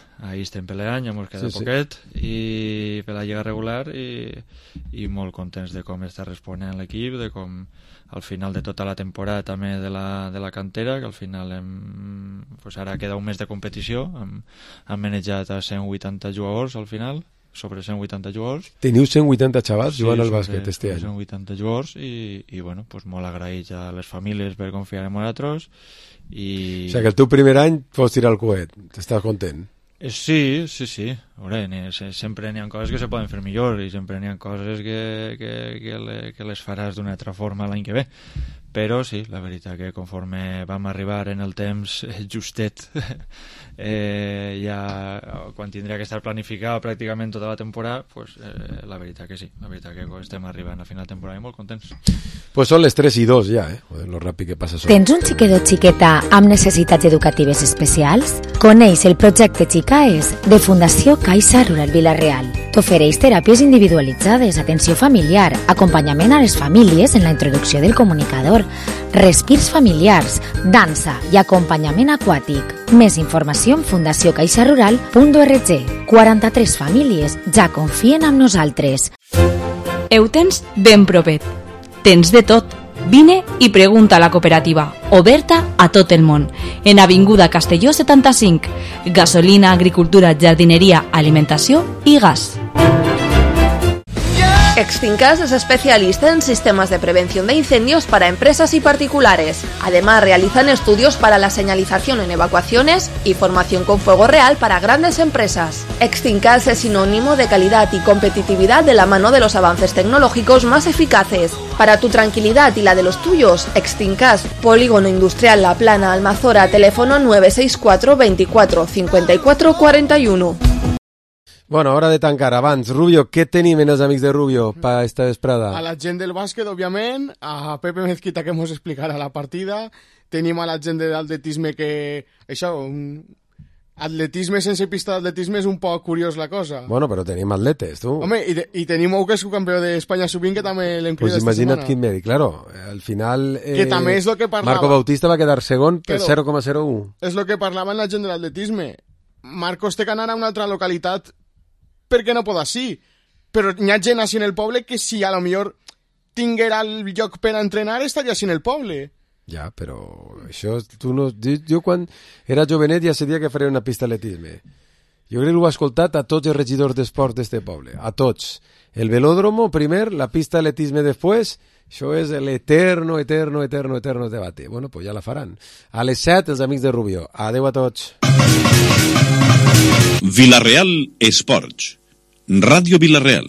Speaker 8: peleant, ja mos queda poquet, i per la lliga regular i molt contents de com està responent l'equip, de com al final de tota la temporada també de la cantera, que al final pues ara queda un mes de competició, hem manejat a 180 jugadors al final, sobre 180 jugadors.
Speaker 4: Teniu 180 xavals jugant al bàsquet este any.
Speaker 8: 180 jugadors i bueno, pues molt agraïts a les famílies per confiar en nosaltres. O
Speaker 4: sigui que el teu primer any pots tirar el coet, t'estàs content?
Speaker 8: Sí. Veure, sempre n'hi ha coses que se poden fer millor i sempre n'hi ha coses que les faràs d'una altra forma l'any que ve. Però sí, la veritat que conforme vam arribar en el temps justet, ja quan tindria que estar planificat pràcticament tota la temporada, pues, la veritat que sí, la veritat que estem arribant a final de temporada i molt contents.
Speaker 4: Pues són les 3:02 ja, Joder, lo ràpid que passa.
Speaker 2: Tens un xiquet o xiqueta amb necessitats educatives especials? Coneix el projecte Xicaes de Fundació Caixa Rural Vila-real. T'ofereix teràpies individualitzades, atenció familiar, acompanyament a les famílies en la introducció del comunicador, respirs familiars, dansa i acompanyament aquàtic. Més informació en fundaciocaixarural.org. 43 famílies ja confien en nosaltres.
Speaker 7: Ho tens ben propet. Tens de tot. Vine i pregunta a la cooperativa, oberta a tot el món, en Avinguda Castelló 75, gasolina, agricultura, jardineria, alimentació i gas.
Speaker 18: Extincas es especialista en sistemas de prevención de incendios para empresas y particulares. Además, realizan estudios para la señalización en evacuaciones y formación con fuego real para grandes empresas. Extincas es sinónimo de calidad y competitividad de la mano de los avances tecnológicos más eficaces. Para tu tranquilidad y la de los tuyos, Extincas, Polígono Industrial La Plana, Almazora, teléfono 964 24 54 41.
Speaker 4: Bueno, hora de tancar. Abans, Rubio, què tenim en els amics de Rubio per esta vesprada?
Speaker 5: A la gent del bàsquet, òbviament, a Pepe Mezquita, que mos explicarà la partida. Tenim a la gent de l'atletisme que... Això, atletisme sense pista d'atletisme és un poc curiós la cosa.
Speaker 4: Bueno, però tenim atletes, tu.
Speaker 5: Home, i tenim un que és campió d'Espanya sub-20, que també l'hem cridat esta setmana.
Speaker 4: Imagina't quin mèdic, claro. Al final...
Speaker 5: que també és el que parlava.
Speaker 4: Marco Bautista va quedar segon per 0,01.
Speaker 5: És el que parlava la gent de l'atletisme. Marcos té que anar a una altra localitat perquè no pot així, però hi ha gent així en el poble que si a lo millor tinguera el lloc per entrenar estaria així en el poble.
Speaker 4: Ja, però això tu no... Jo quan era jovenet ja sabia que faria una pista d'atletisme. Jo crec que ho he escoltat a tots els regidors d'esport d'este poble, a tots. El velòdromo primer, la pista d'atletisme després, això és l'eterno debate. Bueno, pues ja la faran. A les 7, els amics de Rubio. Adeu a tots.
Speaker 10: Vila-real Esports. Ràdio Vila-real.